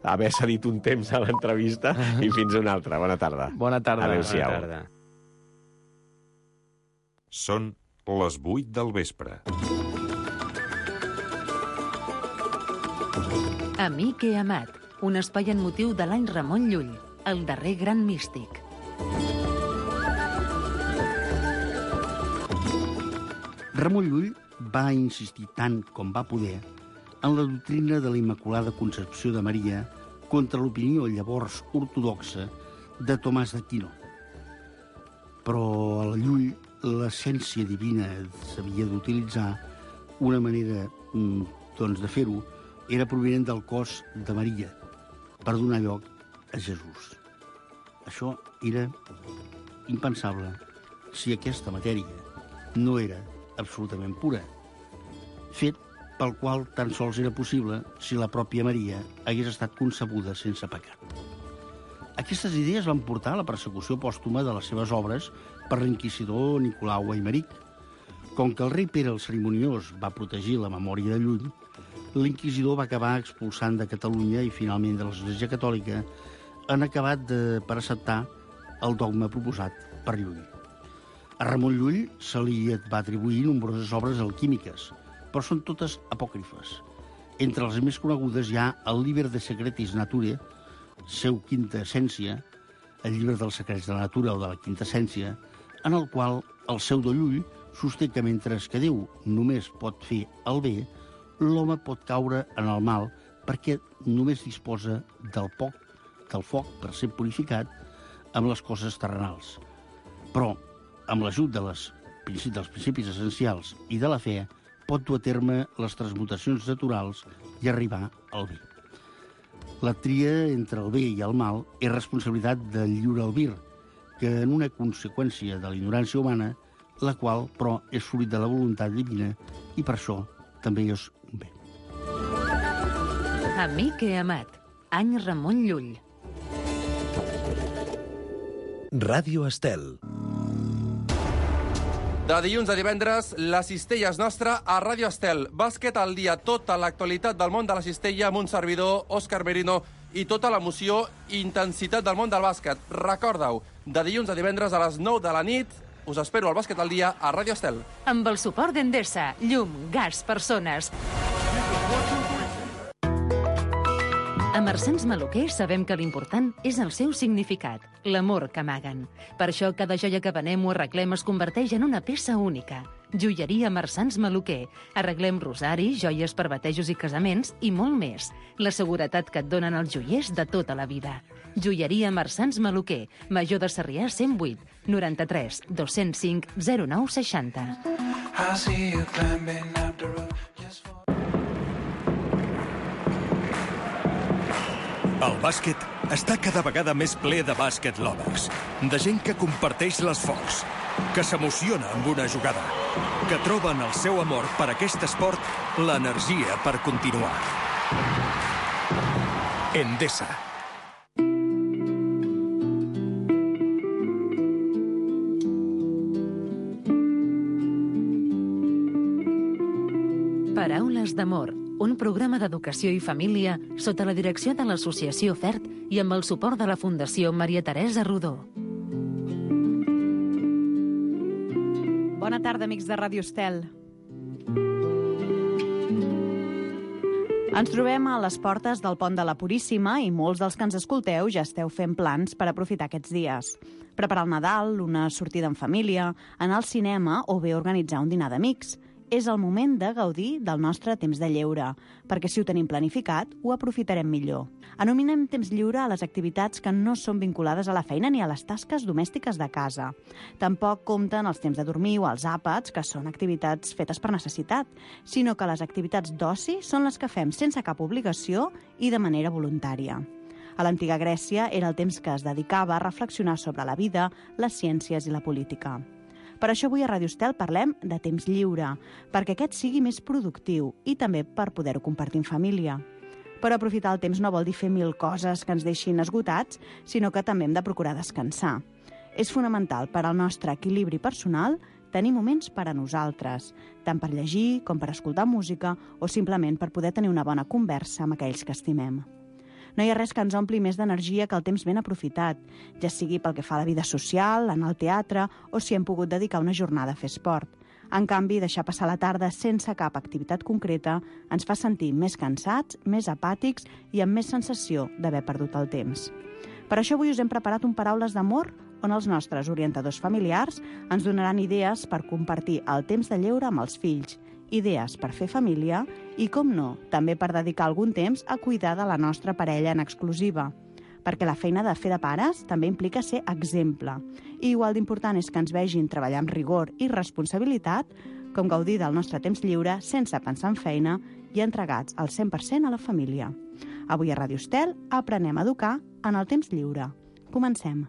haver cedit un temps a l'entrevista i fins una altra. Bona tarda. Bona tarda. Adéu-siau. Bona tarda. Són les 8 del vespre. Amic i amat, un espai en motiu de l'any Ramon Llull, el darrer gran místic. Ramon Llull va insistir tant com va poder en la doctrina de la Immaculada Concepció de Maria contra l'opinió llavors ortodoxa de Tomàs d'Aquino. Però a la Llull l'essència divina s'havia d'utilitzar. Una manera de fer-ho era provinent del cos de Maria per donar lloc a Jesús. Això era impensable si aquesta matèria no era absolutament pura, fet pel qual tan sols era possible si la pròpia Maria hagués estat concebuda sense pecat. Aquestes idees van portar a la persecució pòstuma de les seves obres per l'inquisidor Nicolau Aimeric. Com que el rei Pere el Cerimoniós va protegir la memòria de Llull, l'inquisidor va acabar expulsant de Catalunya i finalment de l'Església Catòlica han acabat per acceptar el dogma proposat per Llull. A Ramon Llull se li va atribuir nombroses obres alquímiques, però són totes apòcrifes. Entre les més conegudes hi ha el Liber de Secretis Naturae, seu quinta essència, el llibre dels secrets de la natura o de la quinta essència, en el qual el pseudo Llull sosté que mentre que Déu només pot fer el bé, l'home pot caure en el mal perquè només disposa del foc per ser purificat amb les coses terrenals. Però, amb l'ajut dels principis essencials i de la fe, pot dur a terme les transmutacions naturals i arribar al bé. La tria entre el bé i el mal és responsabilitat del lliure albir, que en una conseqüència de la ignorància humana, la qual, però, és fruit de la voluntat divina i per això també és un bé. Amic i amat, any Ramon Llull. Ràdio Estel. De dilluns a divendres, la cistella és nostra a Ràdio Estel. Bàsquet al dia, tota l'actualitat del món de la cistella amb un servidor, Òscar Merino, i tota l'emoció i intensitat del món del bàsquet. Recorda-ho, de dilluns a divendres a les 9 de la nit, us espero al Bàsquet al dia a Ràdio Estel. Amb el suport d'Endesa, llum, gas, persones. A Marsans Maluquer sabem que l'important és el seu significat, l'amor que amaguen. Per això cada joia que venem o arreglem es converteix en una peça única. Joieria Marsans Maluquer. Arreglem rosaris, joies per batejos i casaments i molt més. La seguretat que et donen els joiers de tota la vida. Joieria Marsans Maluquer. Major de Sarrià 108 93 205 09 60. El bàsquet està cada vegada més ple de bàsquet lovers, de gent que comparteix l'esforç, que s'emociona amb una jugada, que troba en el seu amor per aquest esport l'energia per continuar. Endesa. Paraules d'amor, un programa d'educació i família sota la direcció de l'Associació FERT i amb el suport de la Fundació Maria Teresa Rodó. Bona tarda, amics de Ràdio Estel. Ens trobem a les portes del Pont de la Puríssima i molts dels que ens escolteu ja esteu fent plans per aprofitar aquests dies. Preparar el Nadal, una sortida en família, anar al cinema o bé organitzar un dinar d'amics. És el moment de gaudir del nostre temps de lleure, perquè si ho tenim planificat, ho aprofitarem millor. Anominem temps lliure a les activitats que no són vinculades a la feina ni a les tasques domèstiques de casa. Tampoc compten els temps de dormir o els àpats, que són activitats fetes per necessitat, sinó que les activitats d'oci són les que fem sense cap obligació i de manera voluntària. A l'antiga Grècia era el temps que es dedicava a reflexionar sobre la vida, les ciències i la política. Per això avui a Ràdio Estel parlem de temps lliure, perquè aquest sigui més productiu i també per poder-ho compartir en família. Però aprofitar el temps no vol dir fer 1000 coses que ens deixin esgotats, sinó que també hem de procurar descansar. És fonamental per al nostre equilibri personal tenir moments per a nosaltres, tant per llegir com per escoltar música o simplement per poder tenir una bona conversa amb aquells que estimem. No hi ha res que ens ompli més d'energia que el temps ben aprofitat, ja sigui pel que fa a la vida social, anar al teatre o si hem pogut dedicar una jornada a fer esport. En canvi, deixar passar la tarda sense cap activitat concreta ens fa sentir més cansats, més apàtics i amb més sensació d'haver perdut el temps. Per això avui us hem preparat un Paraules d'Amor on els nostres orientadors familiars ens donaran idees per compartir el temps de lleure amb els fills, idees per fer família i, com no, també per dedicar algun temps a cuidar de la nostra parella en exclusiva. Perquè la feina de fer de pares també implica ser exemple. I igual d'important és que ens vegin treballar amb rigor i responsabilitat, com gaudir del nostre temps lliure sense pensar en feina i entregats al 100% a la família. Avui a Ràdio Estel aprenem a educar en el temps lliure. Comencem.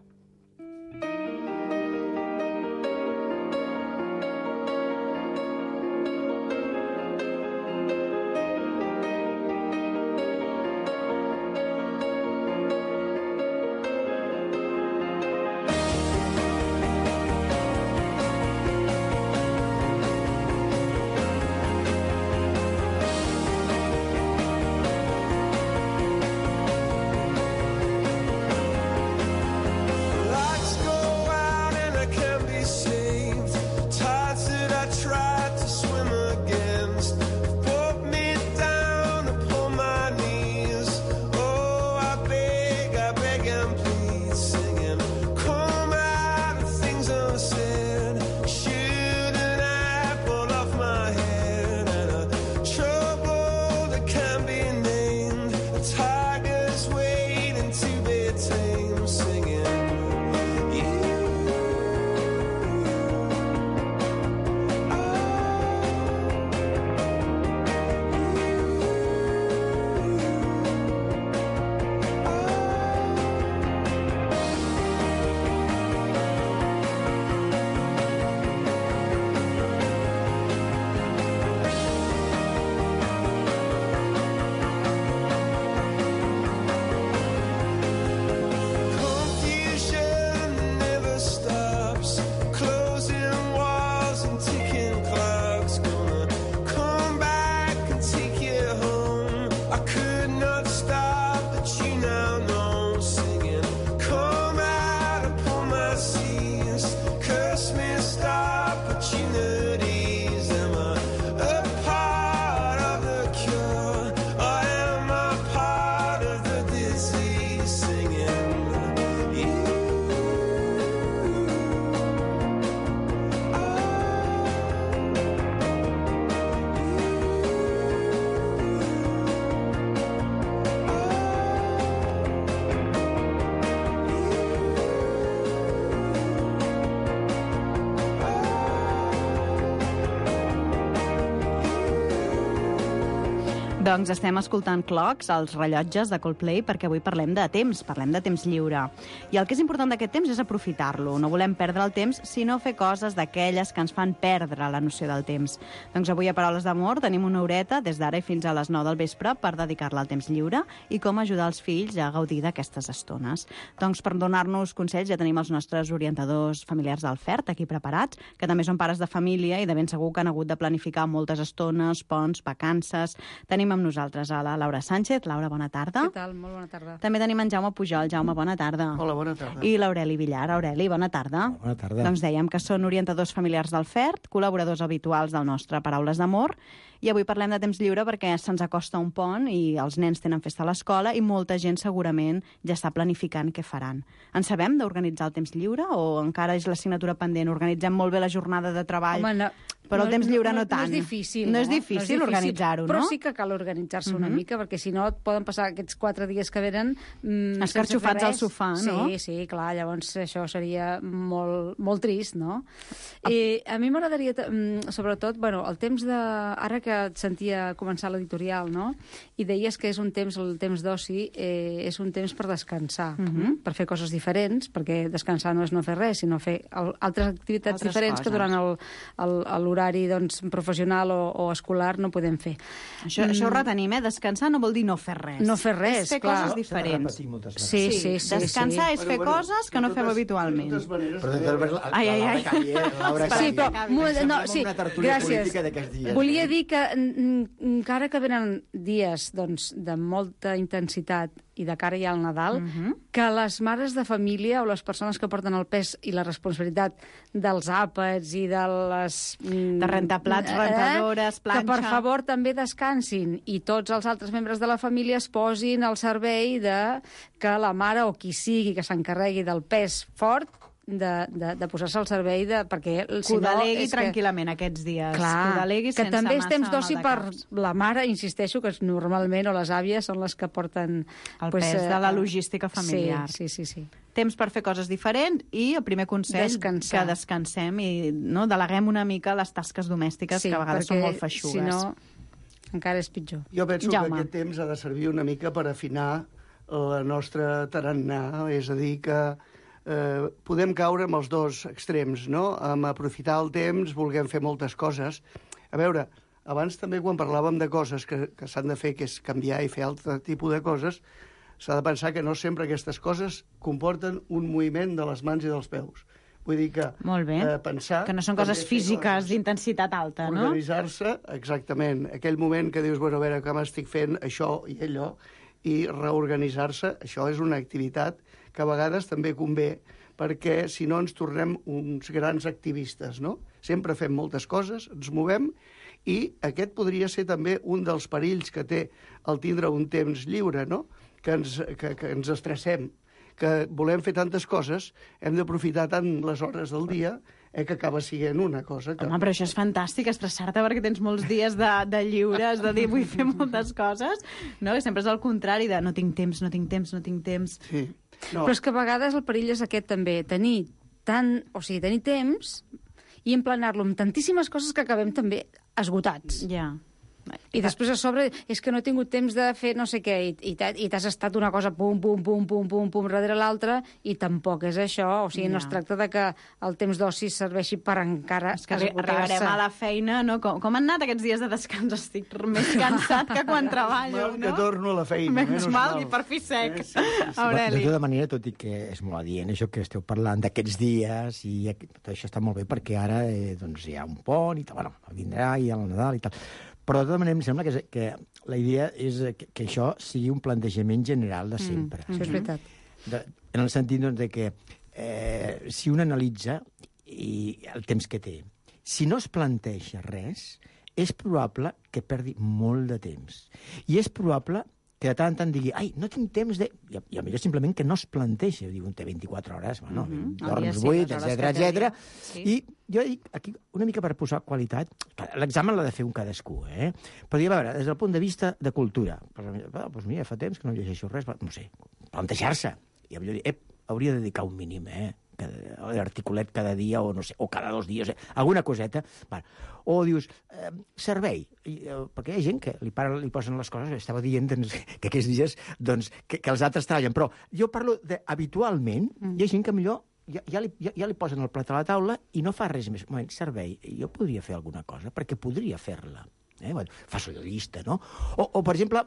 Doncs estem escoltant Clocks, els rellotges de Coldplay, perquè avui parlem de temps lliure. I el que és important d'aquest temps és aprofitar-lo. No volem perdre el temps, sinó fer coses d'aquelles que ens fan perdre la noció del temps. Doncs avui a Paraules d'Amor tenim una horeta, des d'ara i fins a les 9 del vespre, per dedicar-la al temps lliure i com ajudar els fills a gaudir d'aquestes estones. Doncs per donar-nos consells ja tenim els nostres orientadors familiars del FERT aquí preparats, que també són pares de família i de ben segur que han hagut de planificar moltes estones, ponts, vacances. Tenim amb nosaltres a la Laura Sánchez. Laura, bona tarda. Què tal? Molt bona tarda. També tenim en Jaume Pujol. Jaume, bona tarda. Hola, bona tarda. I l'Aureli Villar. Aureli, bona tarda. Bona tarda. Doncs dèiem que són orientadors familiars del FERT, col·laboradors habituals del nostre Paraules d'Amor, i avui parlem de temps lliure perquè se'ns acosta un pont i els nens tenen festa a l'escola i molta gent segurament ja està planificant què faran. En sabem d'organitzar el temps lliure o encara és l'assignatura pendent? Organitzem molt bé la jornada de treball, home, no, però el temps lliure no tant. No és difícil. No és difícil organitzar-ho, no? Però sí que cal organitzar-se una mica, perquè si no et poden passar aquests 4 dies que venen escarxofats al sofà, no? Sí, sí, clar, llavors això seria molt, molt trist, no? I a mi m'agradaria, sobretot, bueno, el temps de... Ara que et sentia començar l'editorial, no? I deies que és un temps, el temps d'oci, és un temps per descansar, per fer coses diferents, perquè descansar no és no fer res, sinó fer altres activitats diferents que durant l'horari doncs, professional o escolar no podem fer. Això ho retenim, Descansar no vol dir no fer res. No fer res, és fer clar. coses diferents. Sí. Descansar és fer coses que no fem habitualment. Sí, però... Gràcies. Volia dir que encara que venen dies doncs, de molta intensitat i de cara ja al Nadal, que les mares de família o les persones que porten el pes i la responsabilitat dels àpats i de les... De rentaplats, rentadores, planxa... Que, per favor, també descansin i tots els altres membres de la família es posin al servei de que la mare o qui sigui que s'encarregui del pes fort de posar-se al servei perquè que ho delegui tranquil·lament aquests dies. Clar, que també és temps d'oci per maldecaps. la mare, insisteixo, que normalment, o les àvies, són les que porten... El pes de la logística familiar. Sí. Temps per fer coses diferents i el primer consell, Descansar. que descansem i deleguem una mica les tasques domèstiques, que a vegades són molt feixugues. Si no, encara és pitjor. Jo penso Jaume. que aquest temps ha de servir una mica per afinar la nostra tarannà, és a dir, que podem caure amb els dos extrems, no? Amb aprofitar el temps, volguem fer moltes coses. A veure, abans també quan parlàvem de coses que s'han de fer, que és canviar i fer altre tipus de coses, s'ha de pensar que no sempre aquestes coses comporten un moviment de les mans i dels peus. Vull dir que Molt bé. Pensar... Que no són coses físiques d'intensitat alta, no? Organitzar-se, exactament. Aquell moment que dius, bueno, a veure, que m'estic fent això i allò, i reorganitzar-se, això és una activitat que a vegades també convé, perquè si no ens tornem uns grans activistes, no? Sempre fem moltes coses, ens movem, i aquest podria ser també un dels perills que té el tindre un temps lliure, no? Que ens estressem, que volem fer tantes coses, hem d'aprofitar tant les hores del dia que acaba sent una cosa que... Home, però això és fantàstic, estressar-te perquè tens molts dies de lliure, has de dir, vull fer moltes coses, no? Que sempre és el contrari de no tinc temps. Sí. No. Però és que a vegades el perill és aquest també, tenir temps i emplenar-lo amb tantíssimes coses que acabem també esgotats. Ja. I després a sobre és que no he tingut temps de fer no sé què i t'has estat una cosa pum darrere l'altra i tampoc és això, o sigui, no es tracta de que el temps d'oci serveixi per encara esgotar-se. Arribarem a la feina, no? Com han anat aquests dies de descans? Estic més cansat que quan treballo, no? Que torno a la feina. Menys mal, i per fi sec. Aureli. De tota manera, tot i que és molt adient això que esteu parlant d'aquests dies, i tot això està molt bé perquè ara doncs, hi ha un pont i tal, bueno, vindrà i el Nadal i tal. Però de tota manera em sembla que la idea és que això sigui un plantejament general de sempre. Sí, és veritat. En el sentit doncs, de que si un analitza el temps que té, si no es planteja res, és probable que perdi molt de temps. I és probable que de tant en tant digui, ai, no tinc temps de... I millor simplement que no es planteja. Diu, té 24 hores, bueno, dorms 8, etc. Sí. I jo dic, aquí, una mica per posar qualitat, l'examen l'ha de fer un cadascú, Però dir, a veure, des del punt de vista de cultura, doncs mira, fa temps que no llegeixo res, no sé, plantejar-se. I millor dir, hauria de dedicar un mínim, l'articulet cada dia o no sé, o cada 2 dies, alguna coseta. Bueno. O dius, servei, perquè hi ha gent que li posen les coses, estava dient doncs, que aquests dies doncs, que els altres treballen, però jo parlo habitualment, hi ha gent que millor ja li posen el plat a la taula i no fa res més. Un moment, servei, jo podria fer alguna cosa, perquè podria fer-la. Bueno, fas la llista, no? O per exemple,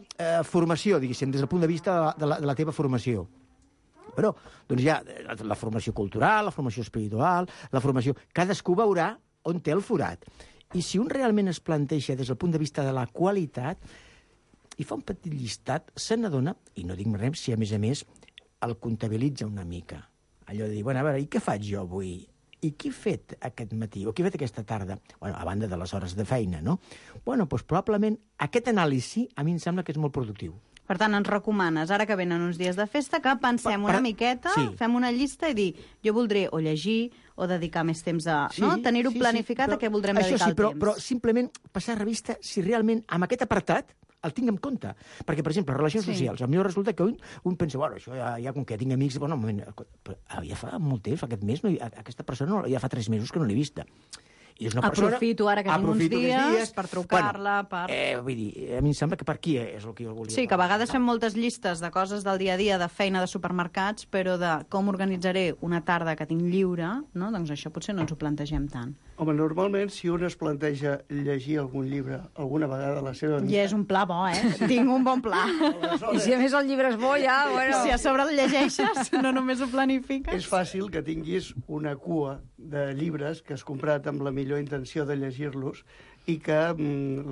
formació, diguéssim, des del punt de vista de la teva formació. Però, doncs hi ha la formació cultural, la formació espiritual, la formació... Cadascú veurà on té el forat. I si un realment es planteja des del punt de vista de la qualitat i fa un petit llistat, se n'adona, i no dic res si a més el comptabilitza una mica. Allò de dir, bueno, a veure, i què faig jo avui? I què he fet aquest matí? O què he fet aquesta tarda? Bueno, a banda de les hores de feina, no? Bueno, doncs probablement aquest anàlisi a mi em sembla que és molt productiu. Per tant, ens recomanes, ara que venen uns dies de festa, que pensem una miqueta, fem una llista i dir, jo voldré o llegir o dedicar més temps a... Tenir-ho planificat a què voldrem dedicar el temps. Però simplement passar a revista si realment amb aquest apartat el tinc en compte. Perquè, per exemple, relacions socials. Potser resulta que un pensa, bueno, això ja com que tinc amics... Bueno, un moment, ja fa molt temps, aquest mes, aquesta persona ja fa 3 mesos que no l'he vista. Aprofito ara que tinc uns dies per trucar-la, vull dir, a mi em sembla que per aquí és el que jo volia. Sí, que a vegades fem moltes llistes de coses del dia a dia, de feina, de supermercats, però de com organitzaré una tarda que tinc lliure, no? Doncs això potser no ens ho plantegem tant. Home, normalment, si un es planteja llegir algun llibre alguna vegada a la seva vida... I és un pla bo, Tinc un bon pla. I si a més el llibre és bo, ja... Bueno. Si a sobre el llegeixes, no només ho planifiques. És fàcil que tinguis una cua de llibres que has comprat amb la millor intenció de llegir-los i que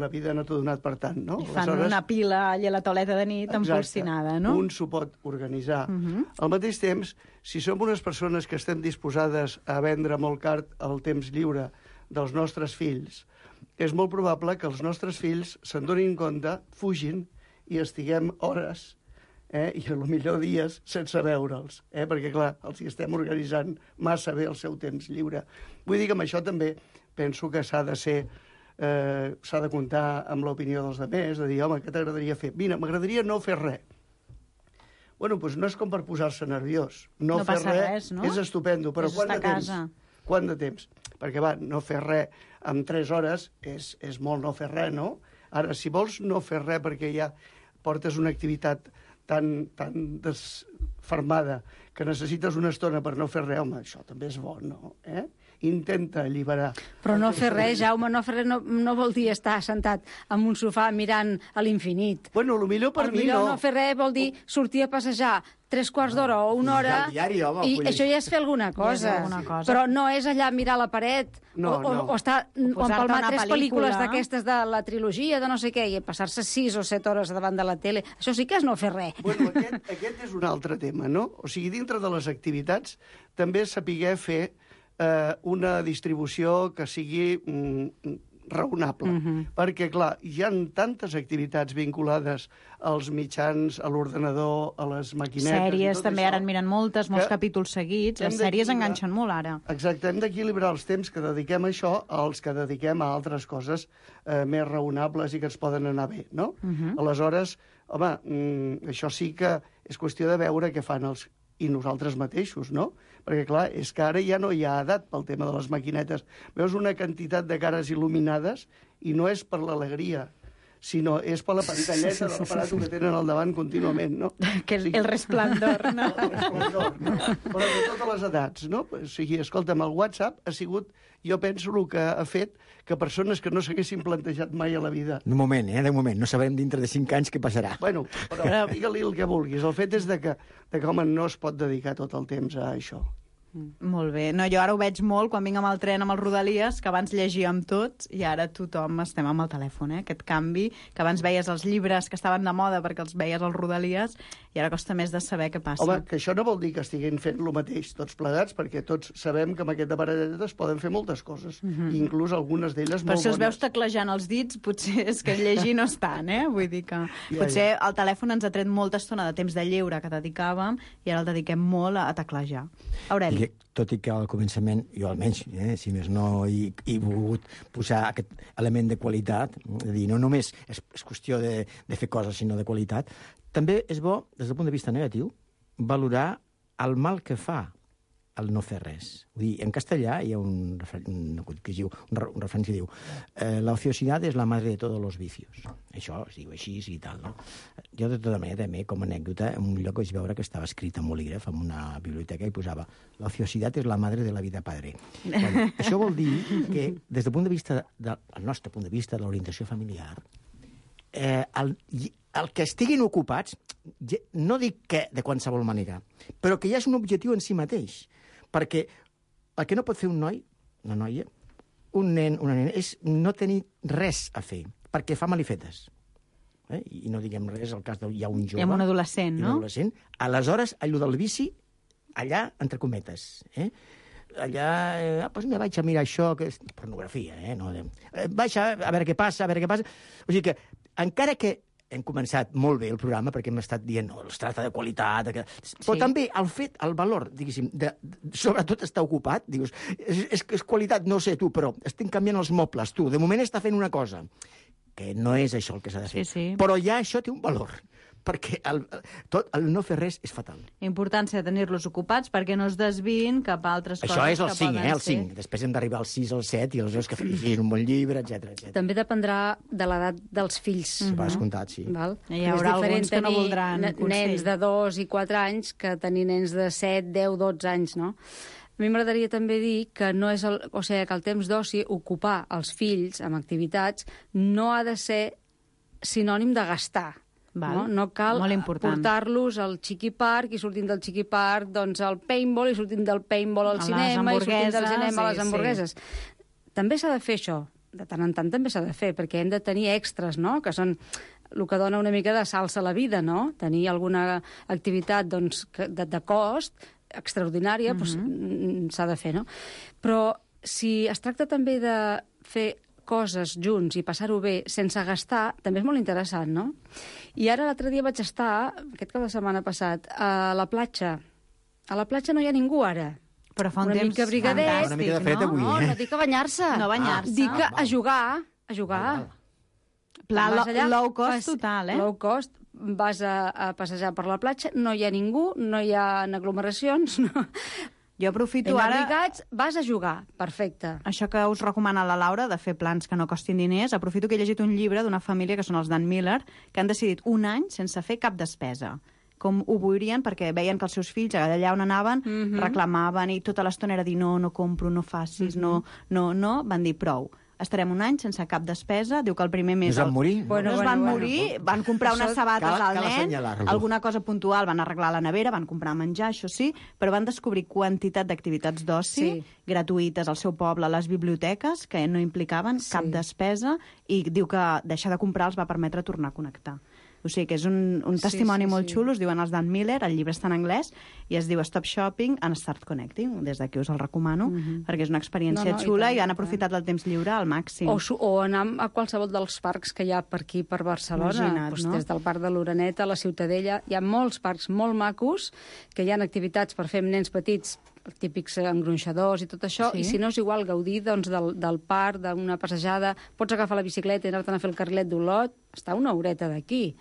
la vida no t'ha donat per tant, no? I fan una pila allà a la tauleta de nit empolsinada, no? Un s'ho pot organitzar. Al mateix temps, si som unes persones que estem disposades a vendre molt car el temps lliure dels nostres fills, és molt probable que els nostres fills se'n donin compte, fugin i estiguem hores i potser dies sense veure'ls, perquè, clar, els hi estem organitzant massa bé el seu temps lliure. Vull dir que amb això també penso que s'ha de comptar amb l'opinió dels altres, de dir, home, què t'agradaria fer? Mira, m'agradaria no fer res. Bueno, doncs no és com per posar-se nerviós. No fer res, no? És estupendo, però quant de temps? Quant de temps? Perquè, va, no fer res en 3 hores és molt no fer res, no? Ara, si vols no fer res perquè ja portes una activitat tan desfermada que necessites una estona per no fer res, home, això també és bo, no? Intenta alliberar. Però no fer res, Jaume, no fer res no vol dir estar sentat en un sofà mirant a l'infinit. Bueno, potser per mi no. No fer res vol dir sortir a passejar 3/4 d'hora o 1 hora i això ja és fer alguna cosa. Però no és allà mirar la paret o estar o empalmar 3 pel·lícules d'aquestes de la trilogia de no sé què i passar-se 6 o 7 hores davant de la tele. Això sí que és no fer res. Bueno, aquest és un altre tema, no? O sigui, dintre de les activitats també sapiguer fer una distribució que sigui raonable. Perquè, clar, hi ha tantes activitats vinculades als mitjans, a l'ordenador, a les maquinetes... Sèries, també ara en miren molts capítols seguits. Les sèries enganxen molt, ara. Exacte, hem d'equilibrar els temps que dediquem a això als que dediquem a altres coses més raonables i que ens poden anar bé, no? Aleshores, home, això sí que és qüestió de veure què fan els i nosaltres mateixos, no? Perquè, clar, és que ara ja no hi ha edat pel tema de les maquinetes. Veus una quantitat de cares il·luminades i no és per l'alegria, sinó és per la pantalleta de l'aparato que tenen al davant contínuament, no? Que el resplendor, no? El resplendor, no? Però de totes les edats, no? O sigui, escolta'm, el WhatsApp ha sigut, jo penso, el que ha fet que persones que no s'haguessin plantejat mai a la vida... De moment, no sabem dintre de 5 anys què passarà. Bueno, però digue-li el que vulguis. El fet és que home, no es pot dedicar tot el temps a això. Molt bé. No, jo ara ho veig molt quan vinc amb el tren amb els Rodalies, que abans llegíem tots i ara tothom estem amb el telèfon, Aquest canvi, que abans veies els llibres que estaven de moda perquè els veies als Rodalies i ara costa més de saber què passa. Home, que això no vol dir que estiguin fent el mateix tots plegats, perquè tots sabem que amb aquest aparellet es poden fer moltes coses, inclús algunes d'elles molt bones. Però si els veus teclejant els dits, potser és que llegir no estan, Vull dir que potser el telèfon ens ha tret molta estona de temps de lleure que dedicàvem i ara el dediquem molt a teclejar. Aureli. Tot i que al començament, jo almenys, si més no, he volgut posar aquest element de qualitat, és a dir, no només és qüestió de fer coses, sinó de qualitat, també és bo, des del punt de vista negatiu, valorar el mal que fa el no fer res. Vull dir, en castellà hi ha un refrany que diu la ociosidad es la madre de todos los vicios. Això es diu així i tal, no? Jo, de tota manera, també, com a anècdota, en un lloc vaig veure que estava escrit en bolígraf, en una biblioteca, i posava la ociosidad es la madre de la vida padre. Bueno, això vol dir que, des del punt de vista, del nostre punt de vista, de l'orientació familiar, el que estiguin ocupats, no dic que de qualsevol manera, però que ja és un objectiu en si mateix. Perquè el que no pot fer un noi, una noia, un nen, una nena, és no tenir res a fer, perquè fa malifetes. I no diguem res, al cas hi ha un jove... I un adolescent, no? Un adolescent. Aleshores, allò del vici, allà, entre cometes, allà, doncs me vaig a mirar això, que és pornografia, no? Vaig a veure què passa, a veure què passa... O sigui que, encara que hem començat molt bé el programa perquè hem estat dient, no, es tracta de qualitat... Però també el fet, el valor, diguéssim, sobretot estar ocupat, dius, és qualitat, no sé tu, però estic canviant els mobles, tu, de moment està fent una cosa, que no és això el que s'ha de fer. Però ja això té un valor, perquè el no fer res és fatal. Importància de tenir-los ocupats perquè no es desviïn cap a altres coses. Això és el 5, el 5. Després hem d'arribar al 6, al 7, i aleshores que llegir un bon llibre, etc. També dependrà de l'edat dels fills. Per descomptat, sí. Hi haurà alguns que no voldran consell. Nens de 2 i 4 anys que tenir nens de 7, 10, 12 anys, no? A mi m'agradaria també dir que no és o sigui, que el temps d'oci, ocupar els fills amb activitats, no ha de ser sinònim de gastar. No cal portar-los al Chiqui Park i sortint del Chiqui Park doncs al paintball i sortint del paintball al cinema i sortint del cinema a les hamburgueses. També s'ha de fer això, de tant en tant també s'ha de fer, perquè hem de tenir extras, no?, que són el que dona una mica de salsa a la vida, no? Tenir alguna activitat doncs, de cost extraordinària doncs, s'ha de fer, no? Però si es tracta també de fer coses junts i passar-ho bé sense gastar, també és molt interessant, no? I ara l'altre dia vaig estar, aquest cap de setmana passat, a la platja. A la platja no hi ha ningú ara. Però fa un una temps mica brigadet, una mica de fred avui, no dic a banyar-se. No banyar-se. Dic a jugar. Pla Vas allà, low cost total, Low cost, vas a passejar per la platja, no hi ha ningú, no hi ha aglomeracions, no. Jo aprofito ara... ara... Vas a jugar, perfecte. Això que us recomana la Laura, de fer plans que no costin diners, aprofito que he llegit un llibre d'una família, que són els Dan Miller, que han decidit un any sense fer cap despesa. Com ho voldrien, perquè veien que els seus fills, allà on anaven, reclamaven, i tota l'estona era dir no compro, no facis, no, van dir prou. Estarem un any sense cap despesa. Diu que el primer mes... No es van morir? No es van morir, van comprar unes sabates al nen, alguna cosa puntual, van arreglar la nevera, van comprar menjar, això sí, però van descobrir quantitat d'activitats d'oci gratuïtes al seu poble, a les biblioteques, que no implicaven cap despesa, i diu que deixar de comprar els va permetre tornar a connectar. O sigui que és un testimoni molt xulo, es diuen els Dan Miller, el llibre està en anglès, i es diu Stop Shopping and Start Connecting. Des d'aquí us el recomano, perquè és una experiència xula i han aprofitat el temps lliure al màxim. O anar a qualsevol dels parcs que hi ha per aquí, per Barcelona. Des del Parc de l'Oreneta a la Ciutadella. Hi ha molts parcs molt macos, que hi ha activitats per fer amb nens petits, típics engronxadors i tot això, i si no és igual gaudir del parc, d'una passejada, pots agafar la bicicleta i anar-te'n a fer el carrilet d'Olot, està una horeta d'aquí.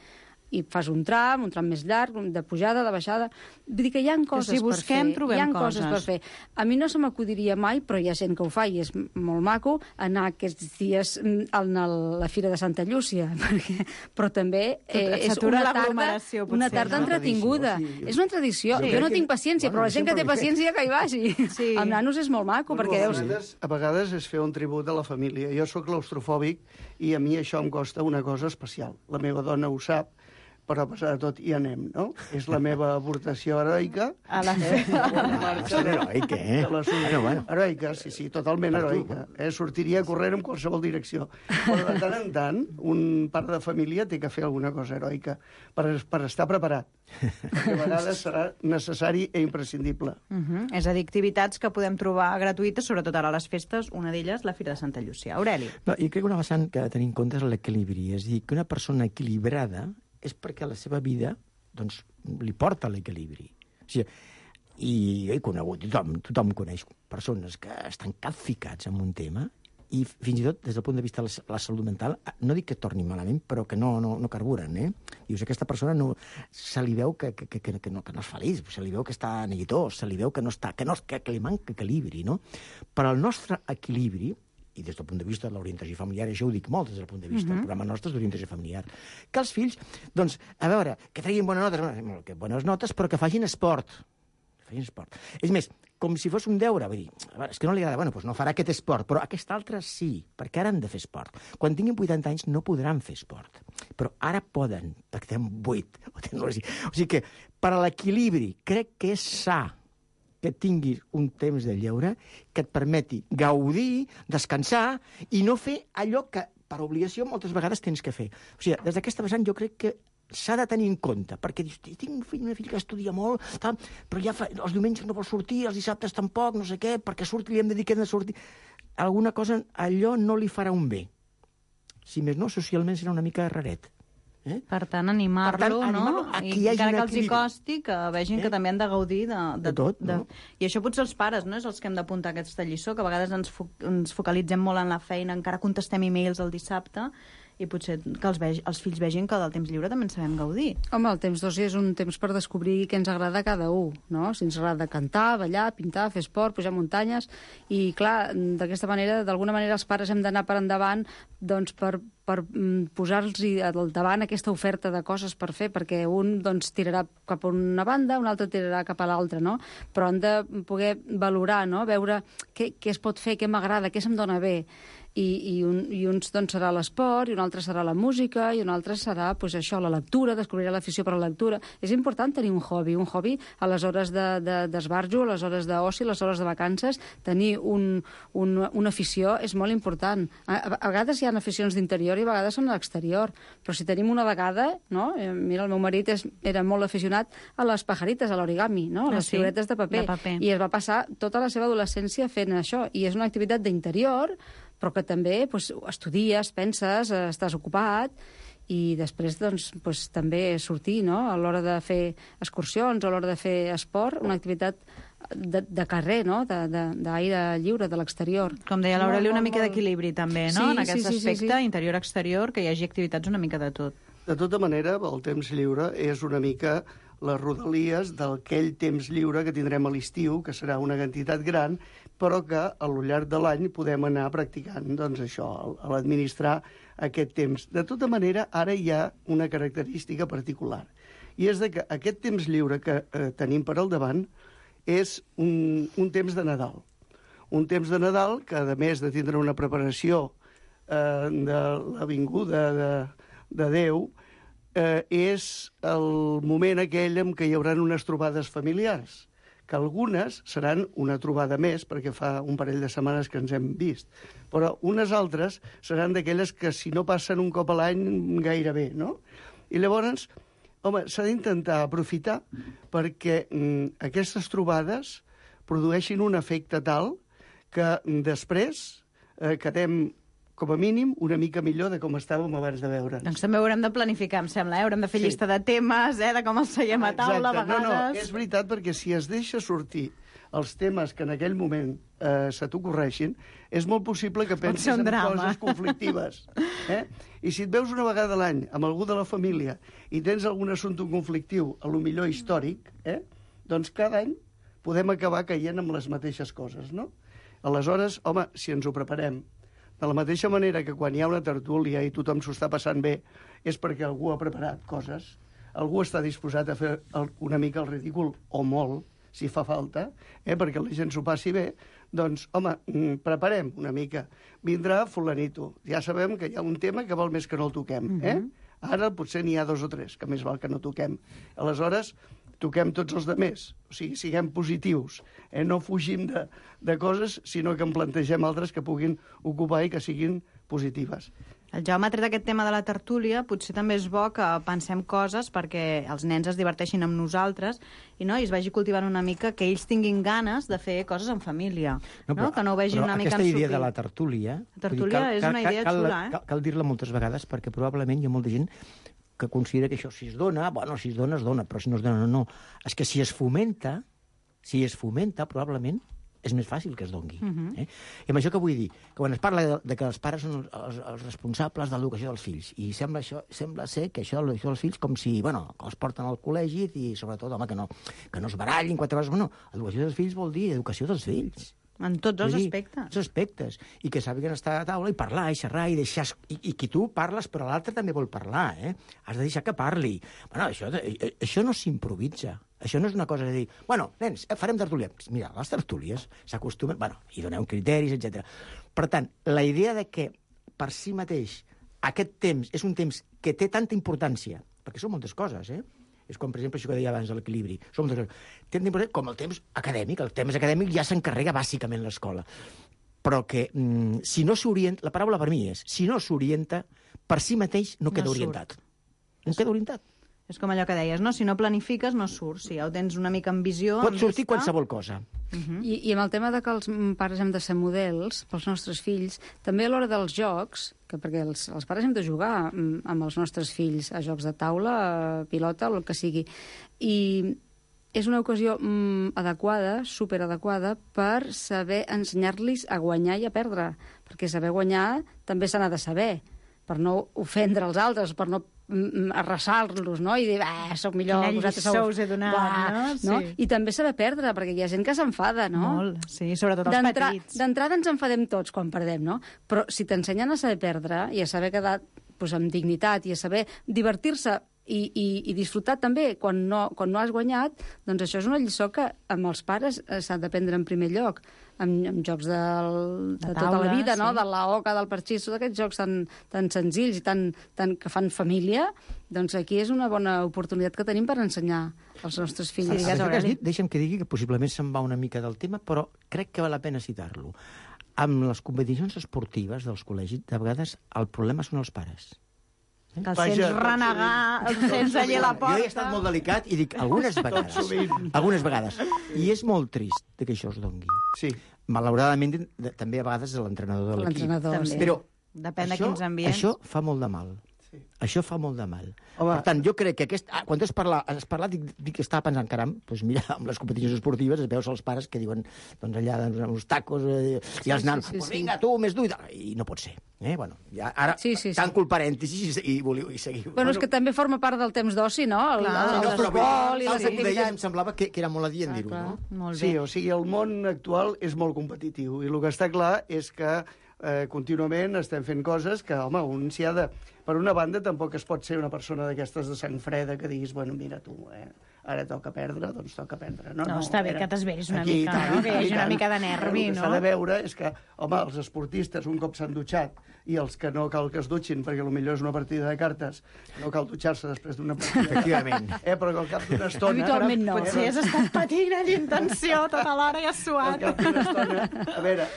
I fas un tram més llarg, de pujada, de baixada... Vull dir que hi ha coses si busquem, per fer. Hi ha coses per fer. A mi no se m'acudiria mai, però hi ha gent que ho fa i és molt maco, anar aquests dies a la Fira de Santa Llúcia, però també és una tarda entretinguda. És una tradició. Jo no tinc paciència, però la gent que té paciència que hi vagi. Amb nanos és molt maco, perquè a vegades és fer un tribut a la família. Jo sóc claustrofòbic i a mi això em costa una cosa especial. La meva dona ho sap, però a pesar de tot hi anem, no? És la meva aportació heroica. Heroica, Heroica, sí, totalment heroica. Sortiria a córrer en qualsevol direcció. Però de tant en tant, un pare de família té que fer alguna cosa heroica per estar preparat. Perquè a vegades serà necessari i imprescindible. És a dir, activitats que podem trobar gratuïtes, sobretot ara a les festes, una d'elles, la Fira de Santa Llúcia. Aureli. Jo crec que una vessant que ha de tenir en compte és l'equilibri. És a dir, que una persona equilibrada és perquè la seva vida doncs, li porta l'equilibri. O sigui, i he conegut, tothom coneix persones que estan capficats en un tema i fins i tot des del punt de vista de la salut mental, no dic que torni malament, però que no carburen. Dius, aquesta persona se li veu que no és feliç, se li veu que està neguitós, se li veu que li manca equilibri, no? Però el nostre equilibri, i des del punt de vista de l'orientació familiar, això ho dic molt des del punt de vista del programa nostre d'orientació familiar, que els fills, doncs, a veure, que treguin bones notes, però que facin esport. És més, com si fos un deure, vull dir, a veure, és que no li agrada, doncs no farà aquest esport, però aquest altre sí, perquè ara han de fer esport. Quan tinguin 80 anys no podran fer esport, però ara poden, perquè tenen 8. O sigui que, per a l'equilibri, crec que és sa que tinguis un temps de lleure que et permeti gaudir, descansar i no fer allò que per obligació moltes vegades tens que fer. O sigui, des d'aquesta vessant jo crec que s'ha de tenir en compte, perquè dius, tinc una filla que estudia molt, però ja els diumenges no vol sortir, els dissabtes tampoc, no sé què, perquè li hem de dir que hem de sortir. Alguna cosa, allò no li farà un bé. Si més no, socialment serà una mica raret. Per tant, animar-lo, no? I encara que els hi costi, que vegin que també han de gaudir de tot. I això potser els pares, no? És els que hem d'apuntar aquesta lliçó, que a vegades ens focalitzem molt en la feina, encara contestem e-mails el dissabte, i potser que els fills vegin que del temps lliure també en sabem gaudir. Home, el temps d'oci és un temps per descobrir què ens agrada a cada un, no? Si ens agrada cantar, ballar, pintar, fer esport, pujar muntanyes, i clar, d'aquesta manera, d'alguna manera els pares hem d'anar per endavant doncs, per posar-los al davant aquesta oferta de coses per fer, perquè un doncs, tirarà cap a una banda, un altre tirarà cap a l'altra, no? Però han de poder valorar, no? Veure què es pot fer, què m'agrada, què se'm dona bé. i uns doncs, serà l'esport, i un altre serà la música, i un altre serà pues, això, la lectura, descobrirà l'afició per la lectura. És important tenir un hobby a les hores d'esbarjo, a les hores d'oci, a les hores de vacances. Tenir una afició és molt important. A vegades hi ha aficions d'interior i a vegades són a l'exterior, però si tenim una vegada, no? Mira, el meu marit era molt aficionat a les pajarites, a l'origami, no? A les figuretes de paper, i es va passar tota la seva adolescència fent això, i és una activitat d'interior, però que també pues, estudies, penses, estàs ocupat, i després doncs, pues, també sortir, no? A l'hora de fer excursions, a l'hora de fer esport, una activitat de carrer, no? D'aire lliure, de l'exterior. Com deia l'Aureli, una mica d'equilibri també, no? En aquest aspecte, interior-exterior, que hi hagi activitats una mica de tot. De tota manera, el temps lliure és una mica les rodalies d'aquell temps lliure que tindrem a l'estiu, que serà una quantitat gran, però que a lo llarg de l'any podem anar practicant doncs, això, a l'administrar aquest temps. De tota manera, ara hi ha una característica particular, i és que aquest temps lliure que tenim per al davant és un temps de Nadal. Un temps de Nadal que, a més de tindre una preparació de la vinguda de Déu, és el moment aquell en què hi haurà unes trobades familiars, que algunes seran una trobada més, perquè fa un parell de setmanes que ens hem vist, però unes altres seran d'aquelles que si no passen un cop a l'any gairebé, no? I llavors, home, s'ha d'intentar aprofitar perquè aquestes trobades produeixin un efecte tal que després quedem com a mínim, una mica millor de com estàvem abans de veure'ns. Doncs també haurem de planificar, em sembla, Haurem de fer llista de temes, de com els seiem a taula, a vegades. No, és veritat, perquè si es deixa sortir els temes que en aquell moment se t'ocorreixin, és molt possible que pensis en coses conflictives. I si et veus una vegada a l'any amb algú de la família i tens algun assumpte conflictiu, a lo millor històric, doncs cada any podem acabar caient amb les mateixes coses, no? Aleshores, home, si ens ho preparem, de la mateixa manera que quan hi ha una tertúlia i tothom s'ho està passant bé, és perquè algú ha preparat coses, algú està disposat a fer una mica el ridícul, o molt, si fa falta, perquè la gent s'ho passi bé, doncs, home, preparem una mica. Vindrà fulanito. Ja sabem que hi ha un tema que val més que no el toquem. Ara potser n'hi ha 2 o 3, que més val que no toquem. Aleshores, toquem tots els demés. O sigui, siguem positius. No fugim de coses, sinó que en plantegem altres que puguin ocupar i que siguin positives. El Jaume ha tret aquest tema de la tertúlia. Potser també és bo que pensem coses perquè els nens es diverteixin amb nosaltres i es vagi cultivant una mica, que ells tinguin ganes de fer coses en família. No? Que no ho vegin una mica ensupit. Aquesta idea de la tertúlia... La tertúlia és una idea xula, Cal dir-la moltes vegades perquè probablement hi ha molta gent que considera que això si es dona, si es dona, però si no es dona, no. És que si es fomenta, probablement és més fàcil que es dongui. I amb això què vull dir? Que quan es parla de que els pares són els responsables de l'educació dels fills, i sembla ser que això de l'educació dels fills com si, que els porten al col·legi i sobretot, home, que no es barallin, 4 coses. Educació dels fills vol dir educació dels fills. En tots els aspectes. Els aspectes. I que sàpiguen estar a taula i parlar, i xerrar, i deixar... I que tu parles, però l'altre també vol parlar, Has de deixar que parli. Això no s'improvisa. Això no és una cosa de dir, nens, farem tertúlia. Mira, les tertúlies s'acostumen... hi doneu criteris, etc. Per tant, la idea de que per si mateix aquest temps és un temps que té tanta importància, perquè són moltes coses, És com, per exemple, això que deia abans, l'equilibri. Són moltes coses. Té tanta importància com el temps acadèmic. El temps acadèmic ja s'encarrega bàsicament l'escola. Però que si no s'orienta... La paraula per mi és, si no s'orienta, per si mateix no queda orientat. No queda orientat. És com allò que deies, no? Si no planifiques, no surts. Si ja ho tens una mica en visió... Pot sortir qualsevol cosa. I amb el tema de que els pares hem de ser models pels nostres fills, també a l'hora dels jocs, perquè els pares hem de jugar amb els nostres fills a jocs de taula, a pilota, o el que sigui. I és una ocasió adequada, superadequada, per saber ensenyar-los a guanyar i a perdre. Perquè saber guanyar també se n'ha de saber, per no ofendre els altres, per no arrasar-los, no? I dir, soc millor... Quina lliçó us he donat, no? I també saber perdre, perquè hi ha gent que s'enfada, no? Molt, sí, sobretot els petits. D'entrada ens enfadem tots quan perdem, no? Però si t'ensenyen a saber perdre i a saber quedar amb dignitat i a saber divertir-se i disfrutar també quan no has guanyat, doncs això és una lliçó que amb els pares s'ha d'aprendre en primer lloc, amb jocs de tota la vida, no? De la oca, del parxís, tots aquests jocs tan senzills i tan que fan família, doncs aquí és una bona oportunitat que tenim per ensenyar als nostres fills. El que has dit, deixa'm que digui que possiblement se'n va una mica del tema, però crec que val la pena citar-lo. Amb les competicions esportives dels col·legis, de vegades el problema són els pares. Que els sents renegar, els sents allà a la porta... Jo he estat molt delicat i dic algunes vegades. I és molt trist que això es dongui. Sí. Malauradament, també a vegades l'entrenador de l'equip. L'entrenador, però depèn de quins ambients. Això fa molt de mal. Això fa molt de mal. Home. Per tant, jo crec que quan has parlat, dic que estava pensant, caram, doncs mira, amb les competicions esportives es veus els pares que diuen, doncs allà, amb els tacos, i els nanos, doncs vinga, tu, més dur, i no pot ser. Bueno, ja, ara tanco el parèntesis i seguiu. Bueno, és que també forma part del temps d'oci, no? El futbol i les activitats. Em semblava que era molt adient dir-ho, no? Molt bé. Sí, o sigui, el món actual és molt competitiu, i el que està clar és que contínuament estem fent coses que, home, un s'hi ha de... Per una banda, tampoc es pot ser una persona d'aquestes de sang freda que diguis, bueno, mira tu, ara toca perdre, doncs toca perdre. No, està bé que t'esveris una mica, no? Que hi hagi una mica de nervi, no? El que s'ha de veure és que, home, els esportistes, un cop s'han dutxat, i els que no cal que es dutxin, perquè potser és una partida de cartes, no cal dutxar-se després d'una partida. Efectivament. Però que al cap d'una estona... Habitualment no. Potser has estat patint d'intenció tota l'hora i has suat. Al cap d'una estona, a veure,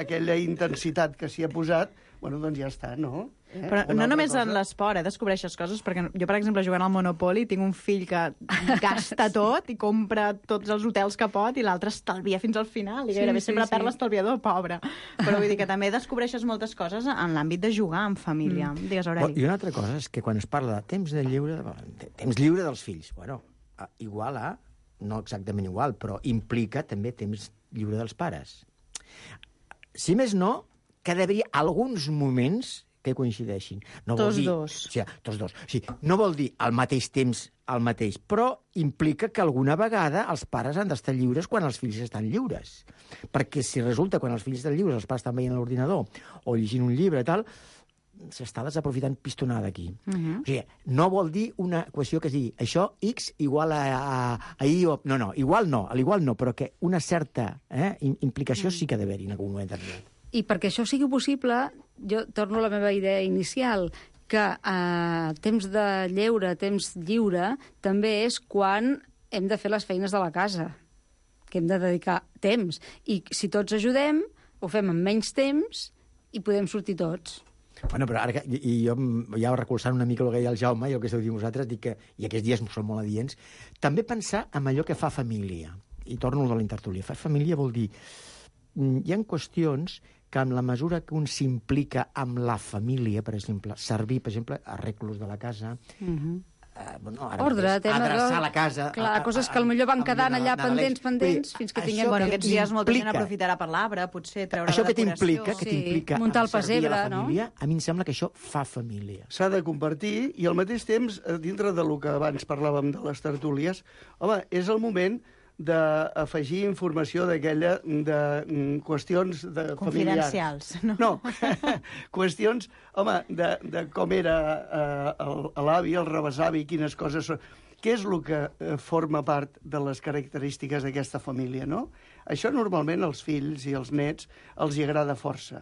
aquella intensitat que s'hi ha posat, bueno, doncs ja està, no? Però no només en l'esport, descobreixes coses, perquè jo, per exemple, jugant al Monopoly, tinc un fill que gasta tot i compra tots els hotels que pot i l'altre estalvia fins al final, i gairebé sempre perd l'estalviador, pobre. Però vull dir que també descobreixes moltes coses en l'àmbit de jugar en família. Digues, Aureli. I una altra cosa és que quan es parla de temps lliure dels fills, bueno, igual a, no exactament igual, però implica també temps lliure dels pares. Si més no, que d'haver alguns moments que coincideixin. Tots dos. O sigui, no vol dir al mateix temps el mateix, però implica que alguna vegada els pares han d'estar lliures quan els fills estan lliures. Perquè si resulta quan els fills estan lliures els pares estan veient a l'ordinador o llegint un llibre i tal, s'està desaprofitant pistonada aquí. O sigui, no vol dir una equació que es digui això X igual a I o... No, igual no, però que una certa implicació sí que ha d'haver-hi en algun moment determinat. I perquè això sigui possible, jo torno a la meva idea inicial, que temps de lleure, temps lliure, també és quan hem de fer les feines de la casa, que hem de dedicar temps. I si tots ajudem, ho fem en menys temps i podem sortir tots. Bueno, però ara, i jo ja recolzant una mica el que deia el Jaume i el que esteu dient vosaltres, dic que, i aquests dies són molt adients, també pensar en allò que fa família. I torno a la intertúlia. Fa família vol dir... Hi ha qüestions que amb la mesura que un s'implica amb la família, per exemple, servir, per exemple, arreglos de la casa, adreçar la casa... Clar, coses que potser van quedant allà pendents, fins que tinguem... Bueno, aquests dies molta gent aprofitarà per l'arbre, potser treure la decoració. Això que t'implica muntar el pessebre, no? A mi em sembla que això fa família. S'ha de compartir i al mateix temps, dintre del que abans parlàvem de les tertúlies, home, és el moment d'afegir informació d'aquella de qüestions de confidencials, familiars. No, qüestions, home, de com era l'avi, el rebesavi, quines coses són... Què és el que forma part de les característiques d'aquesta família, no? Això normalment als fills i als nets els hi agrada força.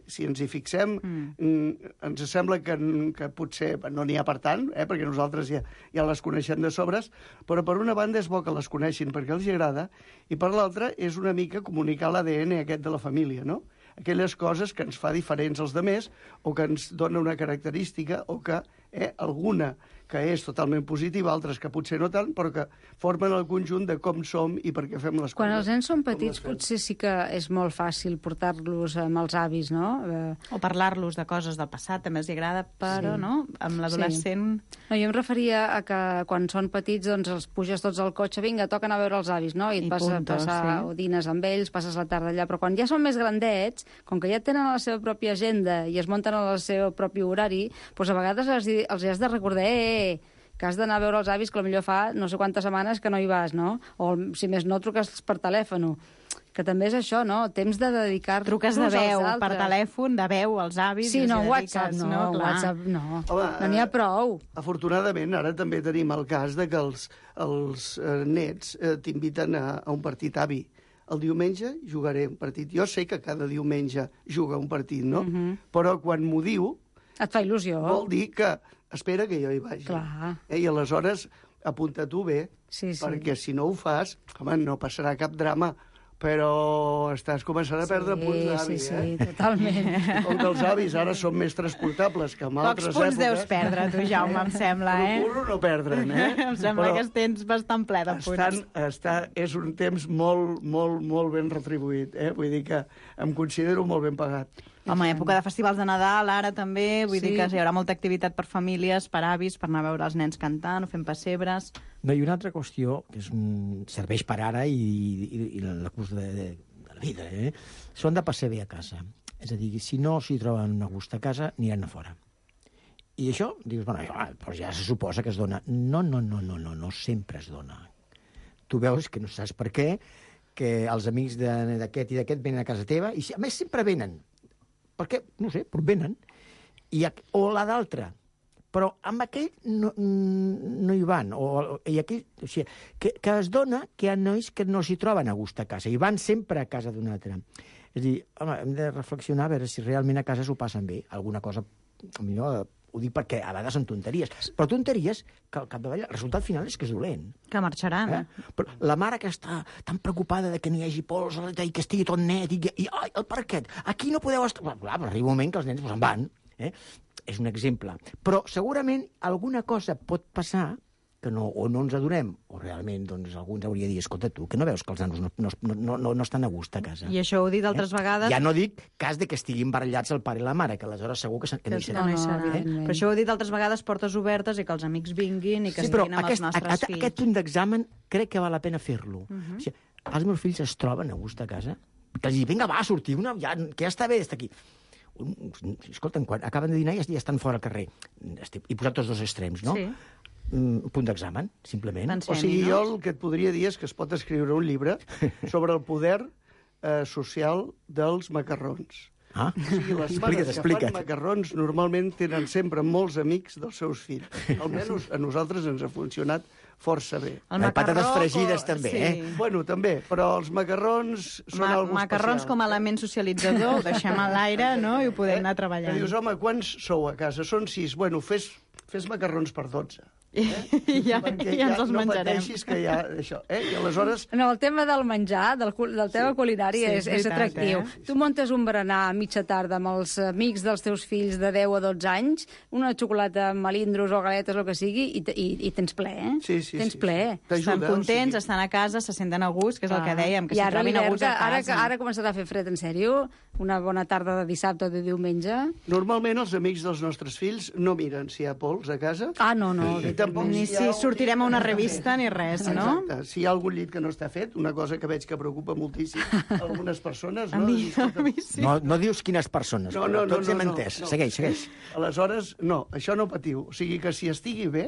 Si ens hi fixem, ens sembla que potser no n'hi ha per tant, perquè nosaltres ja les coneixem de sobres, però per una banda és bo que les coneixin perquè els hi agrada, i per l'altra és una mica comunicar l'ADN aquest de la família, no? Aquelles coses que ens fa diferents als demés o que ens dona una característica o que alguna que és totalment positiva, altres que potser no tant, però que formen el conjunt de com som i per què fem les coses. Quan els nens són petits potser sí que és molt fàcil portar-los amb els avis, no? O parlar-los de coses del passat, també els agrada, però no? Amb l'adolescent... No, jo em referia a que quan són petits doncs els puges tots al cotxe, vinga, toca anar a veure els avis, no? I et passar o dines amb ells, passes la tarda allà, però quan ja són més grandets, com que ja tenen la seva pròpia agenda i es munten el seu propi horari, doncs a vegades els has de recordar que has d'anar a veure els avis, que potser fa no sé quantes setmanes que no hi vas, no? O, si més no, truques per telèfon. que també és això, no? Temps de dedicar-nos Truques de veu, per telèfon, de veu, als avis... Sí, no, i els WhatsApp dediques, no, WhatsApp no. No n'hi ha prou. Afortunadament, ara també tenim el cas de que els nets t'inviten a un partit avi. El diumenge jugaré un partit. Jo sé que cada diumenge juga un partit, no? Però quan m'ho diu... Et fa il·lusió. Vol dir que espera que jo hi vagi. Clar. I aleshores apunta tu bé, perquè si no ho fas, home, no passarà cap drama, però estàs començant a perdre punts d'avi, Sí, totalment. Com que els avis ara són més transportables que en altres èpoques... Pocs punts deus perdre, tu, Jaume, em sembla, Procuro no perdre'n, Em sembla que tens bastant ple de punts. És un temps molt ben retribuït, Vull dir que em considero molt ben pagat. Home, època de festivals de Nadal, ara també, vull dir que hi haurà molta activitat per famílies, per avis, per anar a veure els nens cantant o fent pessebres... No, i una altra qüestió que serveix per ara i el curs de la vida, són de passer bé a casa. És a dir, si no s'hi troben a gust a casa, aniran a fora. I això, dius, bueno, però ja se suposa que es dona. No sempre es dona. Tu veus que no saps per què, que els amics d'aquest i d'aquest venen a casa teva, i a més sempre venen. Perquè, no sé, però venen. O la d'altra. Però amb aquell no hi van. I aquell, o sigui, que es dona que hi ha nois que no s'hi troben a gust a casa i van sempre a casa d'un altre. És a dir, home, hem de reflexionar a veure si realment a casa s'ho passen bé. Alguna cosa, millor, ho dic perquè a vegades són tonteries. Però tonteries que al capdavall el resultat final és que és dolent. Que marxaran. Però la mare que està tan preocupada de que no hi hagi pols i que estigui tot net i el parquet, aquí no podeu estar... Clar, però arriba un moment que els nens se'n van. És un exemple. Però segurament alguna cosa pot passar que o no ens adonem, o realment doncs, algú ens hauria de dir, escolta tu, que no veus que els nanos no estan a gust a casa. I això ho he dit altres vegades... Ja no dic cas de que estiguin barallats el pare i la mare, que aleshores segur que no hi serà. Però això ho he dit altres vegades, portes obertes i que els amics vinguin i que estiguin amb els nostres fills. Aquest punt d'examen crec que val la pena fer-lo. O sigui, els meus fills es troben a gust a casa, que els dic, vinga, va, sortir, que ja està bé d'estar aquí. Escolta'm, quan acaben de dinar ja estan fora al carrer. He posat tots dos extrems, no? Sí. Punt d'examen, simplement. O sigui, jo el que et podria dir és que es pot escriure un llibre sobre el poder social dels macarrons. O sigui, les mares que fan macarrons normalment tenen sempre molts amics dels seus fills. Almenys a nosaltres ens ha funcionat força bé. Patates fregides també, Bueno, també, però els macarrons són algo especial. Macarrons com a element socialitzador, ho deixem a l'aire, no?, i ho podem anar treballant. Que dius, home, quants sou a casa? Són 6. Bueno, fes macarrons per 12. I ja ens els menjarem. No pateixis que hi ha això. I aleshores... No, el tema del menjar, del tema culinari és atractiu. Tu muntes un berenar a mitja tarda amb els amics dels teus fills de 10 a 12 anys, una xocolata amb melindros o galetes, el que sigui, i tens ple, Sí. Tens ple. Estan contents, estan a casa, se senten a gust, que és el que dèiem, que s'hi trobin a gust a casa. Ara començarà a fer fred, en sèrio? Una bona tarda de dissabte o de diumenge? Normalment els amics dels nostres fills no miren si hi ha pols a casa. No. Ni si sortirem a una revista ni res, no? Exacte. Si hi ha algun llit que no està fet, una cosa que veig que preocupa moltíssim algunes persones... A mi sí. No dius quines persones, però tots hem entès. Segueix. Aleshores, no, això no patiu. O sigui que si estigui bé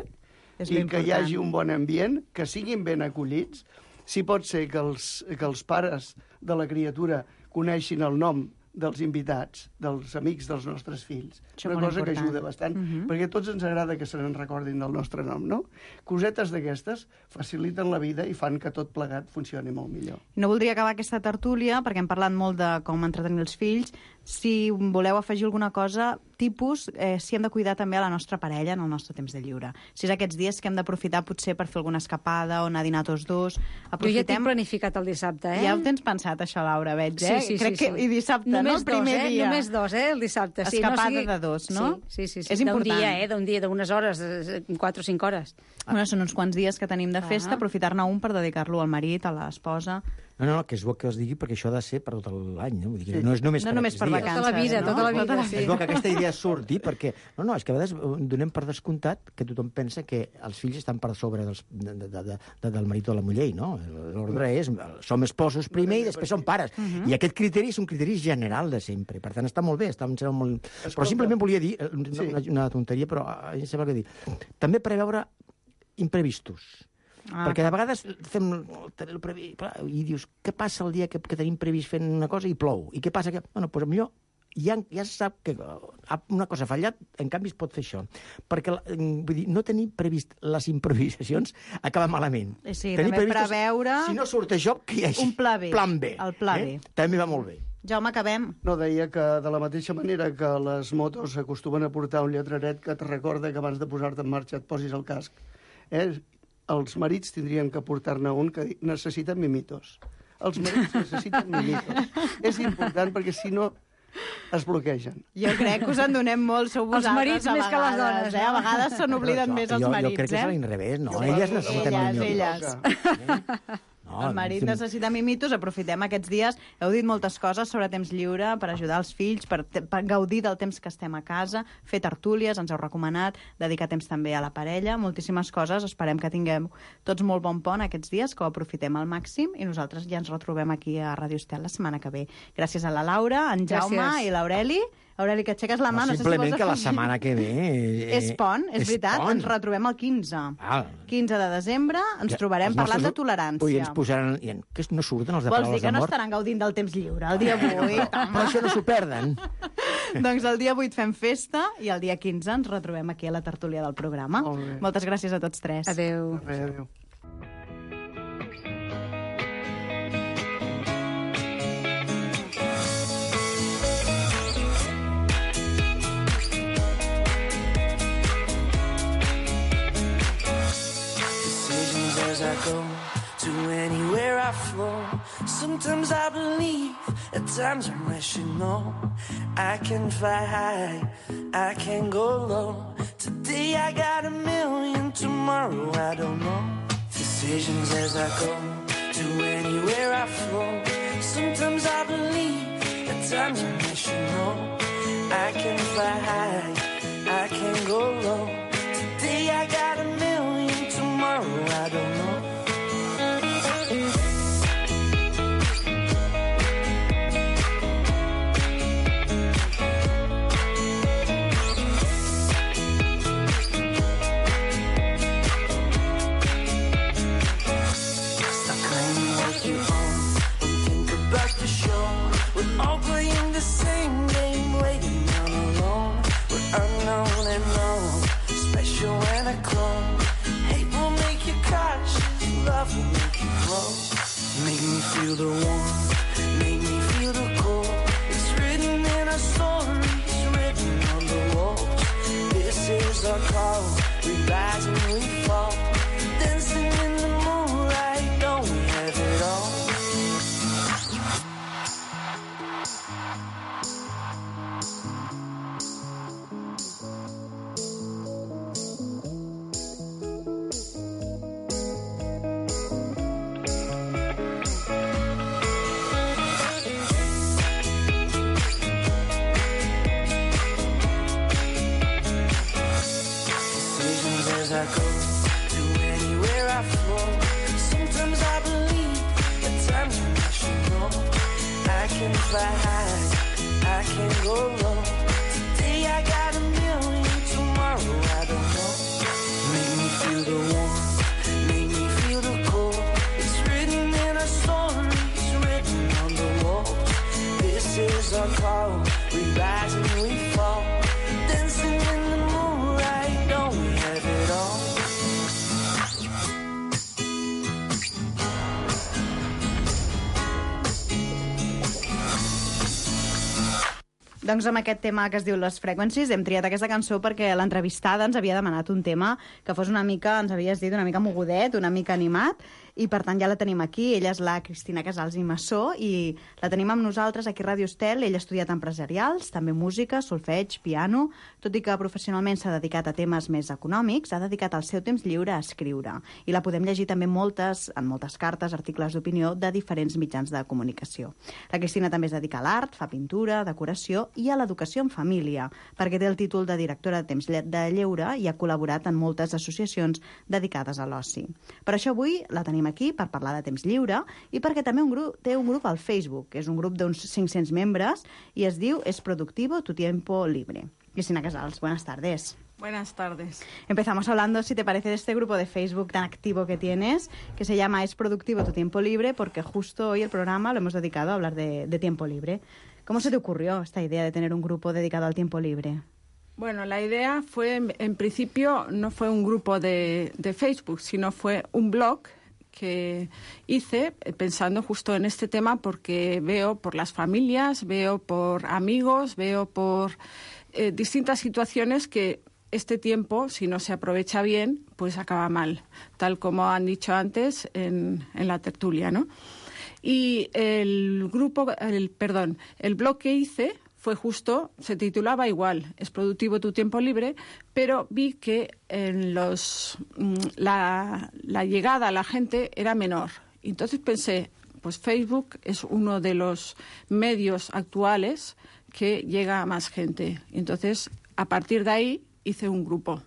i que hi hagi un bon ambient, que siguin ben acollits, si pot ser que els pares de la criatura coneixin el nom dels invitats, dels amics dels nostres fills. Això Una cosa important. que ajuda bastant, perquè a tots ens agrada que se n'en recordin del nostre nom, no? Cosetes d'aquestes faciliten la vida i fan que tot plegat funcioni molt millor. No voldria acabar aquesta tertúlia, perquè hem parlat molt de com entretenir els fills. Si voleu afegir alguna cosa, tipus, si hem de cuidar també a la nostra parella en el nostre temps de lliure. Si és aquests dies que hem d'aprofitar potser per fer alguna escapada o anar a dinar tots dos. Jo ja tinc planificat el dissabte, Ja ho tens pensat, això, Laura, veig, Sí. Crec que i dissabte, només el primer dia. Només dos, el dissabte. Escapada de dos, no? Sí. És important. D'un dia, d'unes hores, 4 o 5 hores. Bueno, són uns quants dies que tenim de festa, aprofitar-ne un per dedicar-lo al marit, a l'esposa... No, que és bo que es digui, perquè això ha de ser per tot l'any, no? Vull dir que no és només no per només per vacances, tota la vida. Sí. És bo que aquesta idea surti, perquè... No, és que a vegades donem per descomptat que tothom pensa que els fills estan per sobre del marit o la muller, no? L'ordre és, som esposos primer i després som pares. I aquest criteri és un criteri general de sempre. Per tant, està molt bé, molt... Però simplement volia dir, una tonteria, però em sembla que dir, també preveure imprevistos. Perquè de vegades fem i dius, què passa el dia que tenim previst fent una cosa i plou? I què passa? Bueno, doncs millor ja se sap que una cosa ha fallat, en canvi es pot fer això. Perquè, vull dir, no tenir previst les improvisacions acaba malament. Sí, també preveure... Si no surt això, que hi hagi un pla B. Plan B. El pla B. També va molt bé. Jaume, acabem. No, deia que de la mateixa manera que les motos acostumen a portar un lletreret que et recorda que abans de posar-te en marxa et posis el casc, els marits tindrien que portar-ne un que necessiten mimitos. Els marits necessiten mimitos. És important perquè si no es bloquegen. Jo crec que us en donem molt, sou vosaltres. Els marits més que les dones. A vegades se n'obliden més els marits. Jo crec que és a l'inrevés, no? Elles necessiten elles. El marit necessita mimitos, aprofitem aquests dies. Heu dit moltes coses sobre temps lliure per ajudar els fills, per gaudir del temps que estem a casa, fer tertúlies, ens heu recomanat, dedicar temps també a la parella, moltíssimes coses. Esperem que tinguem tots molt bon pont aquests dies, que ho aprofitem al màxim i nosaltres ja ens retrobem aquí a Ràdio Estel la setmana que ve. Gràcies a la Laura, en Jaume i l'Aureli. Aureli, que aixeques la mà. No sé si simplement que la setmana que ve... És pont, és veritat. Ens retrobem el 15. 15 de desembre ens trobarem parlant de tolerància. Ui, ens posaran... Que no surten els de Vols paraules dir que de no mort? estaran gaudint del temps lliure el dia 8? Però això no s'ho perden. Doncs el dia 8 fem festa i el dia 15 ens retrobem aquí a la tertúlia del programa. Moltes gràcies a tots tres. Adéu. Adéu. As I go to anywhere I flow, sometimes I believe, at times I'm rational. I can fly high, I can go low. Today I got 1,000,000, tomorrow I don't know. Decisions as I go to anywhere I flow. Sometimes I believe, at times I'm rational. I can fly high, I can go low. Today I got 1,000,000, tomorrow I don't know. Stop claiming what you own and think about the show. We're all playing the same game, waiting on alone. We're unknown and known, special and a clone. Hate will make you cautious, love will make you grow. Make me feel the warmth, make me feel the cold. It's written in our stories, written on the walls. This is our call, we rise and we fall. Dancing in the moonlight, don't we have it all? As I go to anywhere I flow, sometimes I believe, at times I'm rational. I can fly high, I can go low. Today I got 1,000,000, tomorrow I don't know. Make me feel the warmth, make me feel the cold. It's written in our stories, written on the walls. This is our call, we rise and we fall. Dancing in the moonlight, don't we have it all? Doncs amb aquest tema que es diu Les Frequencies hem triat aquesta cançó perquè l'entrevistada ens havia demanat un tema que fos una mica, ens havies dit, una mica mogudet, una mica animat, i per tant ja la tenim aquí. Ella és la Cristina Casals i Massó i la tenim amb nosaltres aquí a Ràdio Estel. Ella ha estudiat empresarials, també música, solfeig, piano, tot i que professionalment s'ha dedicat a temes més econòmics, ha dedicat el seu temps lliure a escriure. I la podem llegir també en moltes cartes, articles d'opinió de diferents mitjans de comunicació. La Cristina també es dedica a l'art, fa pintura, decoració i a l'educació en família, perquè té el títol de directora de temps de lleure i ha col·laborat en moltes associacions dedicades a l'oci. Per això avui la tenim aquí per parlar de temps lliure i perquè també té un grup al Facebook, que és un grup d'uns 500 membres i es diu Es Productivo Tu Tiempo Libre. Cristina Casals, buenas tardes. Buenas tardes. Empezamos hablando, si te parece, de este grupo de Facebook tan activo que tienes, que se llama Es Productivo tu Tiempo Libre, porque justo hoy el programa lo hemos dedicado a hablar de tiempo libre. ¿Cómo se te ocurrió esta idea de tener un grupo dedicado al tiempo libre? Bueno, la idea fue, en principio, no fue un grupo de Facebook, sino fue un blog que hice pensando justo en este tema, porque veo por las familias, veo por amigos, veo por distintas situaciones que este tiempo, si no se aprovecha bien, pues acaba mal, tal como han dicho antes en la tertulia, ¿no? Y el blog que hice fue justo, se titulaba igual, Es Productivo tu Tiempo Libre, pero vi que la llegada a la gente era menor. Entonces pensé, pues Facebook es uno de los medios actuales que llega a más gente. Entonces, a partir de ahí, hice un grupo.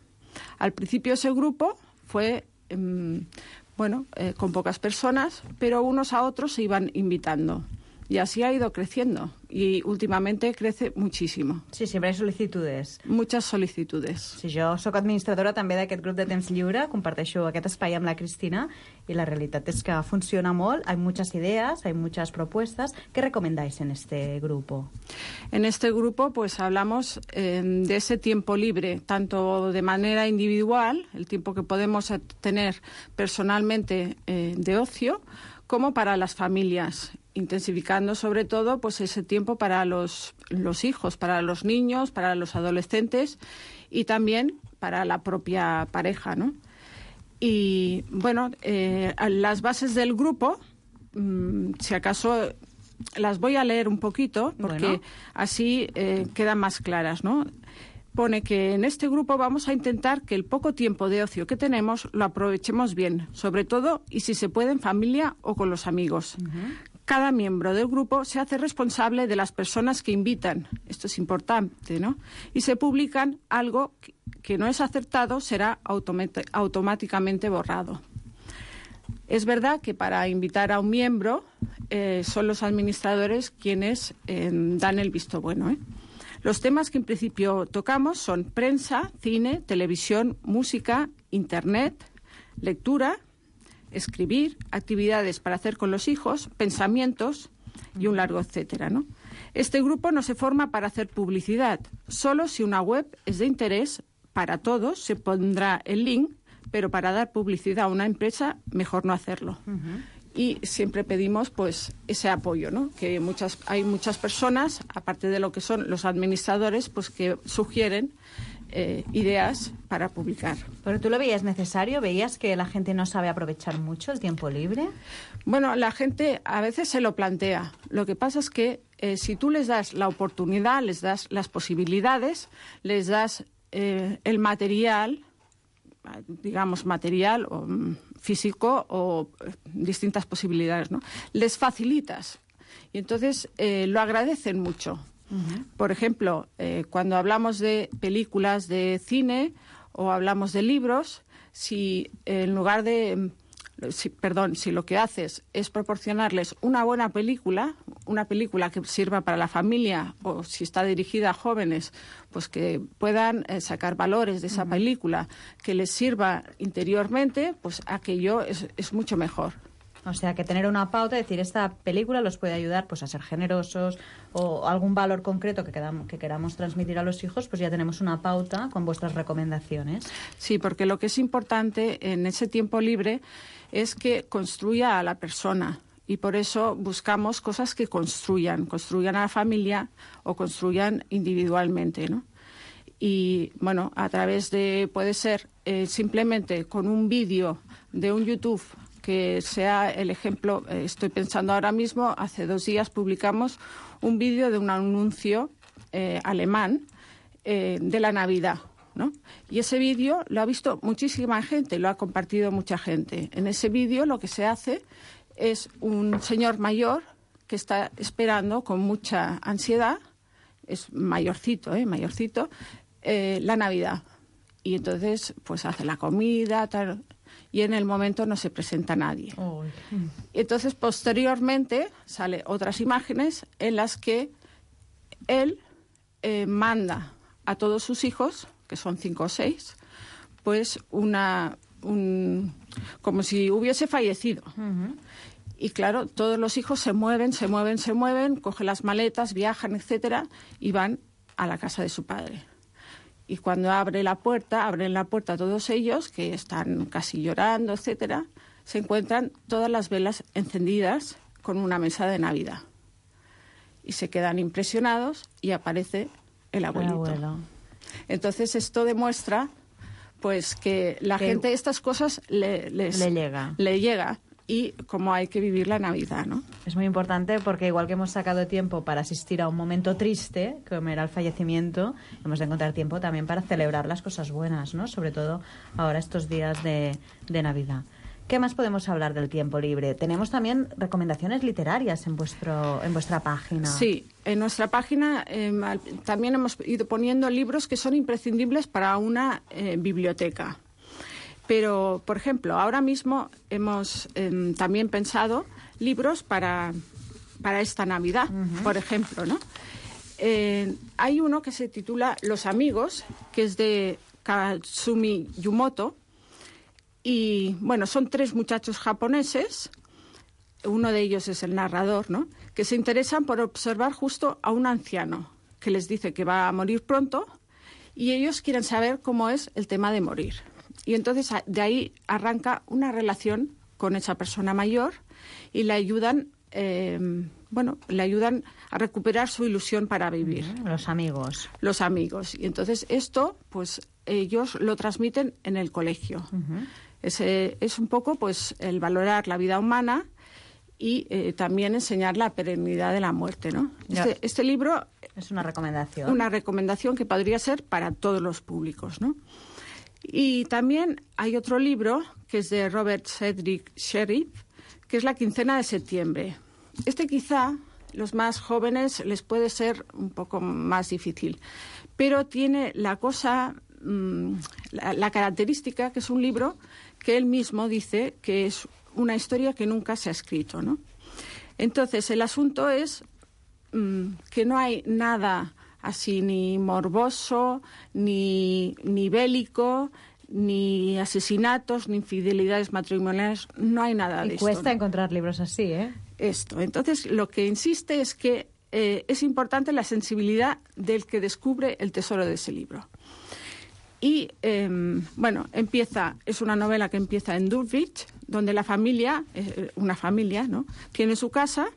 Al principio ese grupo fue, con pocas personas, pero unos a otros se iban invitando. Y así ha ido creciendo. Y últimamente crece muchísimo. Sí, sempre hi ha sol·licitudes. Muchas solicitudes. Sí, jo sóc administradora també d'aquest grup de temps lliure, comparteixo aquest espai amb la Cristina y la realidad es que funciona molt, hay muchas ideas, hay muchas propuestas. ¿Qué recomendáis en este grupo? En este grupo pues hablamos de ese tiempo libre, tanto de manera individual, el tiempo que podemos tener personalmente de ocio, como para las familias, intensificando sobre todo pues ese tiempo para los hijos, para los niños, para los adolescentes y también para la propia pareja, ¿no? Y bueno, las bases del grupo, si acaso las voy a leer un poquito porque así quedan más claras, ¿no? Pone que en este grupo vamos a intentar que el poco tiempo de ocio que tenemos lo aprovechemos bien, sobre todo y si se puede en familia o con los amigos. Cada miembro del grupo se hace responsable de las personas que invitan. Esto es importante, ¿no? Y se publican algo que no es acertado, será automáticamente borrado. Es verdad que para invitar a un miembro son los administradores quienes dan el visto bueno, ¿eh? Los temas que en principio tocamos son prensa, cine, televisión, música, internet, lectura, escribir, actividades para hacer con los hijos, pensamientos y un largo etcétera, ¿no? Este grupo no se forma para hacer publicidad. Solo si una web es de interés para todos se pondrá el link, pero para dar publicidad a una empresa mejor no hacerlo. Y siempre pedimos pues ese apoyo, ¿no? Que hay muchas personas, aparte de lo que son los administradores, pues que sugieren ideas para publicar. ¿Pero tú lo veías necesario? ¿Veías que la gente no sabe aprovechar mucho el tiempo libre? Bueno, la gente a veces se lo plantea. Lo que pasa es que si tú les das la oportunidad, les das las posibilidades, les das el material, digamos material o físico o distintas posibilidades, ¿no? Les facilitas y entonces lo agradecen mucho. Por ejemplo, cuando hablamos de películas de cine o hablamos de libros, si en lugar de si lo que haces es proporcionarles una buena película, una película que sirva para la familia, o si está dirigida a jóvenes, pues que puedan sacar valores de esa película, que les sirva interiormente, pues aquello es mucho mejor. O sea, que tener una pauta, decir, esta película los puede ayudar pues a ser generosos o algún valor concreto que queramos transmitir a los hijos, pues ya tenemos una pauta con vuestras recomendaciones. Sí, porque lo que es importante en ese tiempo libre es que construya a la persona y por eso buscamos cosas que construyan a la familia o construyan individualmente, ¿no? Y bueno, a través de, puede ser simplemente con un vídeo de un YouTube que sea el ejemplo. Estoy pensando ahora mismo, hace 2 días publicamos un vídeo de un anuncio alemán de la Navidad, ¿no? Y ese vídeo lo ha visto muchísima gente, lo ha compartido mucha gente. En ese vídeo lo que se hace es un señor mayor que está esperando con mucha ansiedad, es mayorcito, la Navidad. Y entonces pues hace la comida, tal, y en el momento no se presenta nadie. Y entonces posteriormente salen otras imágenes en las que él manda a todos sus hijos que son 5 o 6, pues como si hubiese fallecido. Y claro, todos los hijos se mueven, cogen las maletas, viajan, etcétera, y van a la casa de su padre. Y cuando abren la puerta todos ellos, que están casi llorando, etcétera, se encuentran todas las velas encendidas con una mesa de Navidad. Y se quedan impresionados y aparece el abuelito. El abuelo. Entonces esto demuestra pues que la gente estas cosas le llega y cómo hay que vivir la Navidad, ¿no? Es muy importante porque igual que hemos sacado tiempo para asistir a un momento triste, como era el fallecimiento, hemos de encontrar tiempo también para celebrar las cosas buenas, ¿no? Sobre todo ahora estos días de Navidad. ¿Qué más podemos hablar del tiempo libre? Tenemos también recomendaciones literarias en vuestra página. Sí, en nuestra página también hemos ido poniendo libros que son imprescindibles para una biblioteca. Pero, por ejemplo, ahora mismo hemos también pensado libros para esta Navidad, por ejemplo, ¿no? Hay uno que se titula Los amigos, que es de Katsumi Yumoto. Y, bueno, son 3 muchachos japoneses, uno de ellos es el narrador, ¿no?, que se interesan por observar justo a un anciano que les dice que va a morir pronto y ellos quieren saber cómo es el tema de morir. Y entonces de ahí arranca una relación con esa persona mayor y le ayudan, a recuperar su ilusión para vivir. Los amigos. Los amigos. Y entonces esto, pues ellos lo transmiten en el colegio. Es un poco pues el valorar la vida humana y también enseñar la perennidad de la muerte, ¿no? Este libro es una recomendación. Una recomendación que podría ser para todos los públicos, ¿no? Y también hay otro libro que es de Robert Cedric Sherriff, que es La quincena de septiembre. Quizá los más jóvenes les puede ser un poco más difícil, pero tiene la característica que es un libro que él mismo dice que es una historia que nunca se ha escrito, ¿no? Entonces, el asunto es que no hay nada así ni morboso, ni bélico, ni asesinatos, ni infidelidades matrimoniales, no hay nada de esto. Y cuesta encontrar libros así, ¿eh? Entonces, lo que insiste es que es importante la sensibilidad del que descubre el tesoro de ese libro. Y, es una novela que empieza en Dulwich, donde la familia, una familia, ¿no?, tiene su casa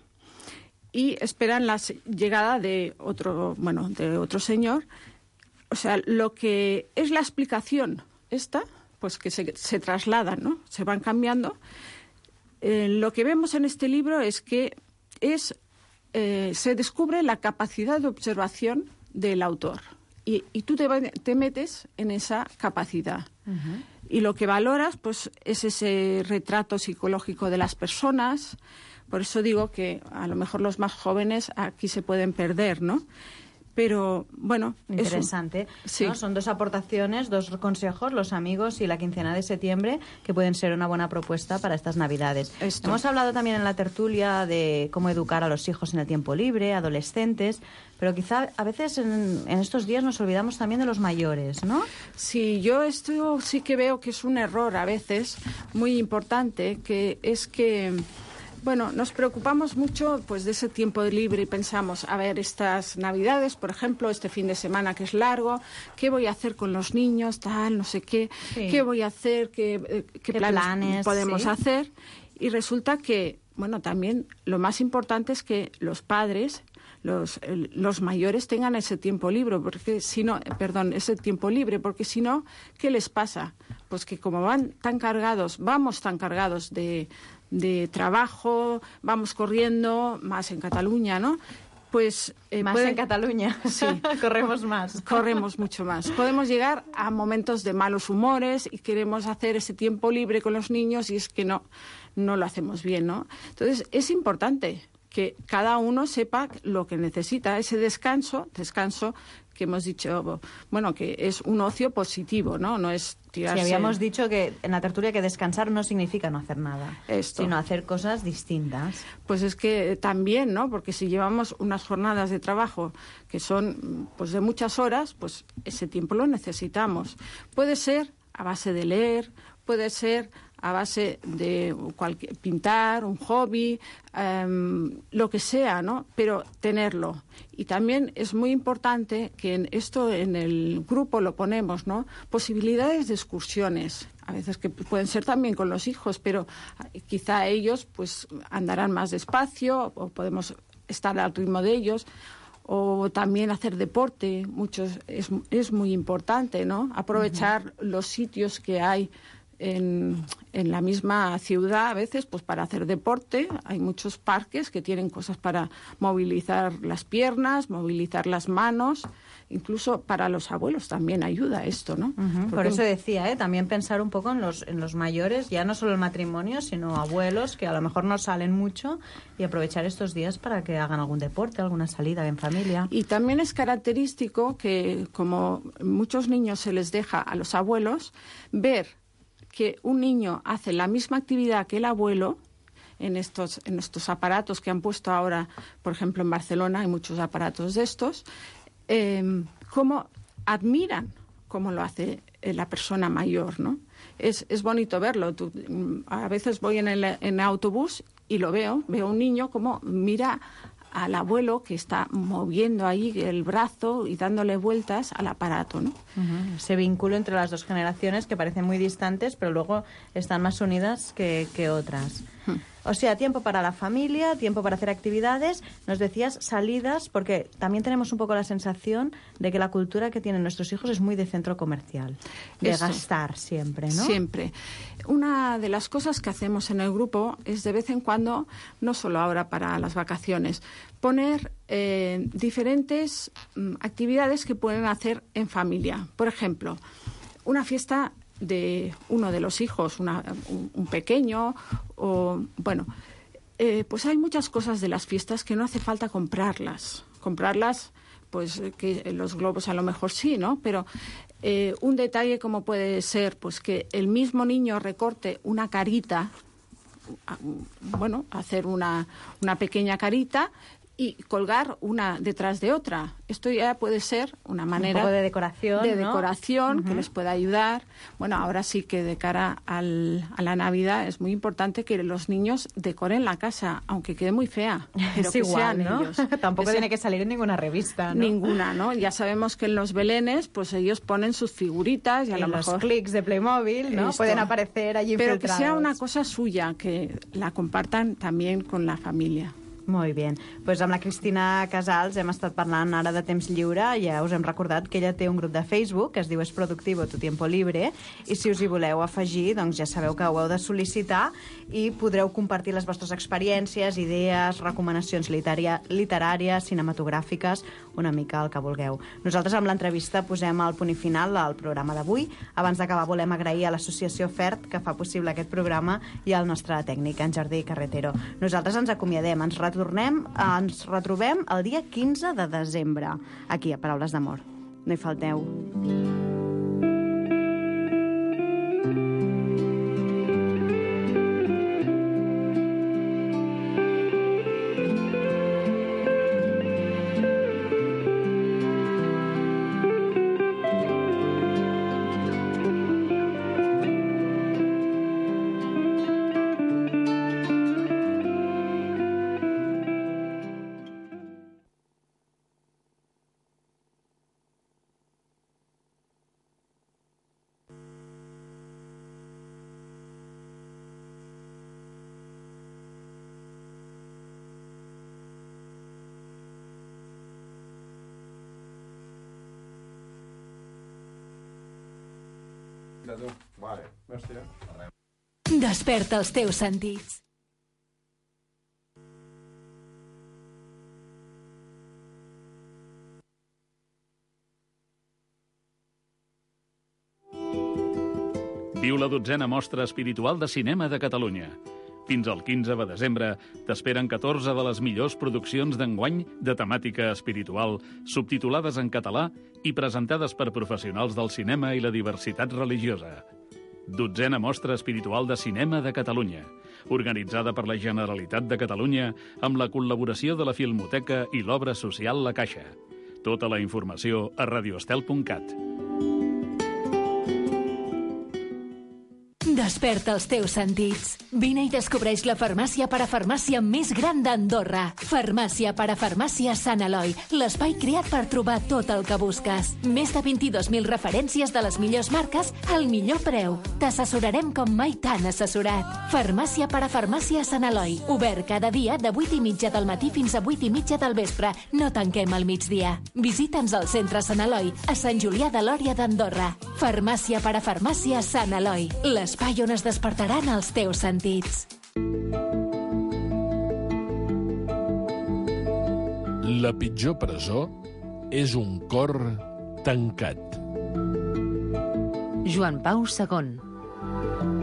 y esperan la llegada de otro señor. O sea, lo que es la explicación pues que se trasladan, ¿no?, se van cambiando. Lo que vemos en este libro es que se descubre la capacidad de observación del autor. Y tú te metes en esa capacidad. Y lo que valoras pues es ese retrato psicológico de las personas. Por eso digo que a lo mejor los más jóvenes aquí se pueden perder, ¿no? Pero, bueno... Interesante. Sí. ¿No? Son 2 aportaciones, 2 consejos, Los amigos y la quincena de septiembre, que pueden ser una buena propuesta para estas Navidades. Hemos hablado también en la tertulia de cómo educar a los hijos en el tiempo libre, adolescentes, pero quizá a veces en estos días nos olvidamos también de los mayores, ¿no? Sí, yo esto sí que veo que es un error a veces muy importante, que es que... Bueno, nos preocupamos mucho pues de ese tiempo libre y pensamos, a ver, estas Navidades, por ejemplo, este fin de semana que es largo, ¿qué voy a hacer con los niños? Tal, no sé qué, sí. ¿Qué voy a hacer? ¿Qué planes podemos hacer? Y resulta que, bueno, también lo más importante es que los padres, los mayores tengan ese tiempo libre, porque si no, porque si no, ¿qué les pasa? Pues que como vamos tan cargados de trabajo, vamos corriendo, más en Cataluña, ¿no? Pues en Cataluña, sí, corremos más. Corremos mucho más. Podemos llegar a momentos de malos humores y queremos hacer ese tiempo libre con los niños y es que no lo hacemos bien, ¿no? Entonces, es importante que cada uno sepa lo que necesita. Ese descanso que hemos dicho, bueno, que es un ocio positivo, ¿no? No es tirarse... Sí, habíamos dicho que en la tertulia que descansar no significa no hacer nada, sino hacer cosas distintas. Pues es que también, ¿no? Porque si llevamos unas jornadas de trabajo que son pues de muchas horas, pues ese tiempo lo necesitamos. Puede ser a base de leer, puede ser a base de pintar, un hobby, lo que sea, ¿no? Pero tenerlo. Y también es muy importante que en el grupo lo ponemos, ¿no? Posibilidades de excursiones. A veces que pueden ser también con los hijos, pero quizá ellos pues andarán más despacio o podemos estar al ritmo de ellos. O también hacer deporte, es muy importante, ¿no? Aprovechar los sitios que hay en la misma ciudad a veces pues para hacer deporte. Hay muchos parques que tienen cosas para movilizar las piernas, movilizar las manos. Incluso para los abuelos también ayuda esto, ¿no? Por eso decía, también pensar un poco en los mayores, ya no solo el matrimonio, sino abuelos que a lo mejor no salen mucho, y aprovechar estos días para que hagan algún deporte, alguna salida en familia. Y también es característico que, como muchos niños se les deja a los abuelos, ver que un niño hace la misma actividad que el abuelo en estos aparatos que han puesto ahora, por ejemplo, en Barcelona hay muchos aparatos de estos, cómo admiran cómo lo hace la persona mayor, ¿no? Es bonito verlo. A veces voy en el autobús y lo veo un niño como mira al abuelo que está moviendo ahí el brazo y dándole vueltas al aparato, ¿no? Ese vínculo entre las dos generaciones que parecen muy distantes, pero luego están más unidas que otras. O sea, tiempo para la familia, tiempo para hacer actividades. Nos decías salidas, porque también tenemos un poco la sensación de que la cultura que tienen nuestros hijos es muy de centro comercial, de gastar siempre, ¿no? Siempre. Una de las cosas que hacemos en el grupo es de vez en cuando, no solo ahora para las vacaciones, poner diferentes actividades que pueden hacer en familia. Por ejemplo, una fiesta de uno de los hijos, un pequeño, o bueno, pues hay muchas cosas de las fiestas que no hace falta comprarlas, pues que los globos a lo mejor sí, ¿no? Pero un detalle como puede ser, pues que el mismo niño recorte una carita, bueno, hacer una pequeña carita y colgar una detrás de otra. Esto ya puede ser una manera... Un poco de decoración, de ¿no? decoración que les pueda ayudar. Bueno, ahora sí que de cara a la Navidad es muy importante que los niños decoren la casa, aunque quede muy fea. Pero Es que igual, sean ¿no? ellos. Tampoco tiene que salir en ninguna revista, ¿no? Ninguna, ¿no? Ya sabemos que en los belenes, pues ellos ponen sus figuritas y a lo mejor... los clics de Playmobil, ¿no? Esto. Pueden aparecer allí pero infiltrados. que sea una cosa suya, que la compartan también con la familia. Molt bé. Pues amb la Cristina Casals hem estat parlant ara de temps lliure. Ja us hem recordat que ella té un grup de Facebook que es diu Es Productivo Tu Tiempo Libre, i si us hi voleu afegir, doncs ja sabeu que ho heu de sol·licitar i podreu compartir les vostres experiències, idees, recomanacions literàries, cinematogràfiques, una mica el que vulgueu. Nosaltres amb l'entrevista posem el punt i final al programa d'avui. Abans d'acabar volem agrair a l'associació FERT que fa possible aquest programa i al nostre tècnic, en Jordi Carretero. Nosaltres ens acomiadem, ens retrobem el dia 15 de desembre, aquí a Paraules d'Amor. No hi falteu. Vale. Hòstia. Desperta els teus sentits. Viu la 12a Mostra Espiritual de Cinema de Catalunya. Fins al 15 de desembre t'esperen 14 de les millors produccions d'enguany de temàtica espiritual, subtitulades en català i presentades per professionals del cinema i la diversitat religiosa. 12a Mostra Espiritual de Cinema de Catalunya, organitzada per la Generalitat de Catalunya amb la col·laboració de la Filmoteca i l'Obra Social La Caixa. Tota la informació a radioestel.cat. Desperta els teus sentits. Vine i descobreix la farmàcia parafarmàcia més gran d'Andorra. Farmàcia parafarmàcia Sant Eloi, l'espai creat per trobar tot el que busques. Més de 22.000 referències de les millors marques al millor preu. T'assessorarem com mai t'han assessorat. Farmàcia parafarmàcia Sant Eloi, obert cada dia de 8:30 del matí fins a 8:30 del vespre. No tanquem al migdia. Visita'ns al centre Sant Eloi, a Sant Julià de Lòria d'Andorra. Farmàcia parafarmàcia Sant Eloi, l'espai on es despertaran els teus sentits. La pitjor presó és un cor tancat. Joan Pau II.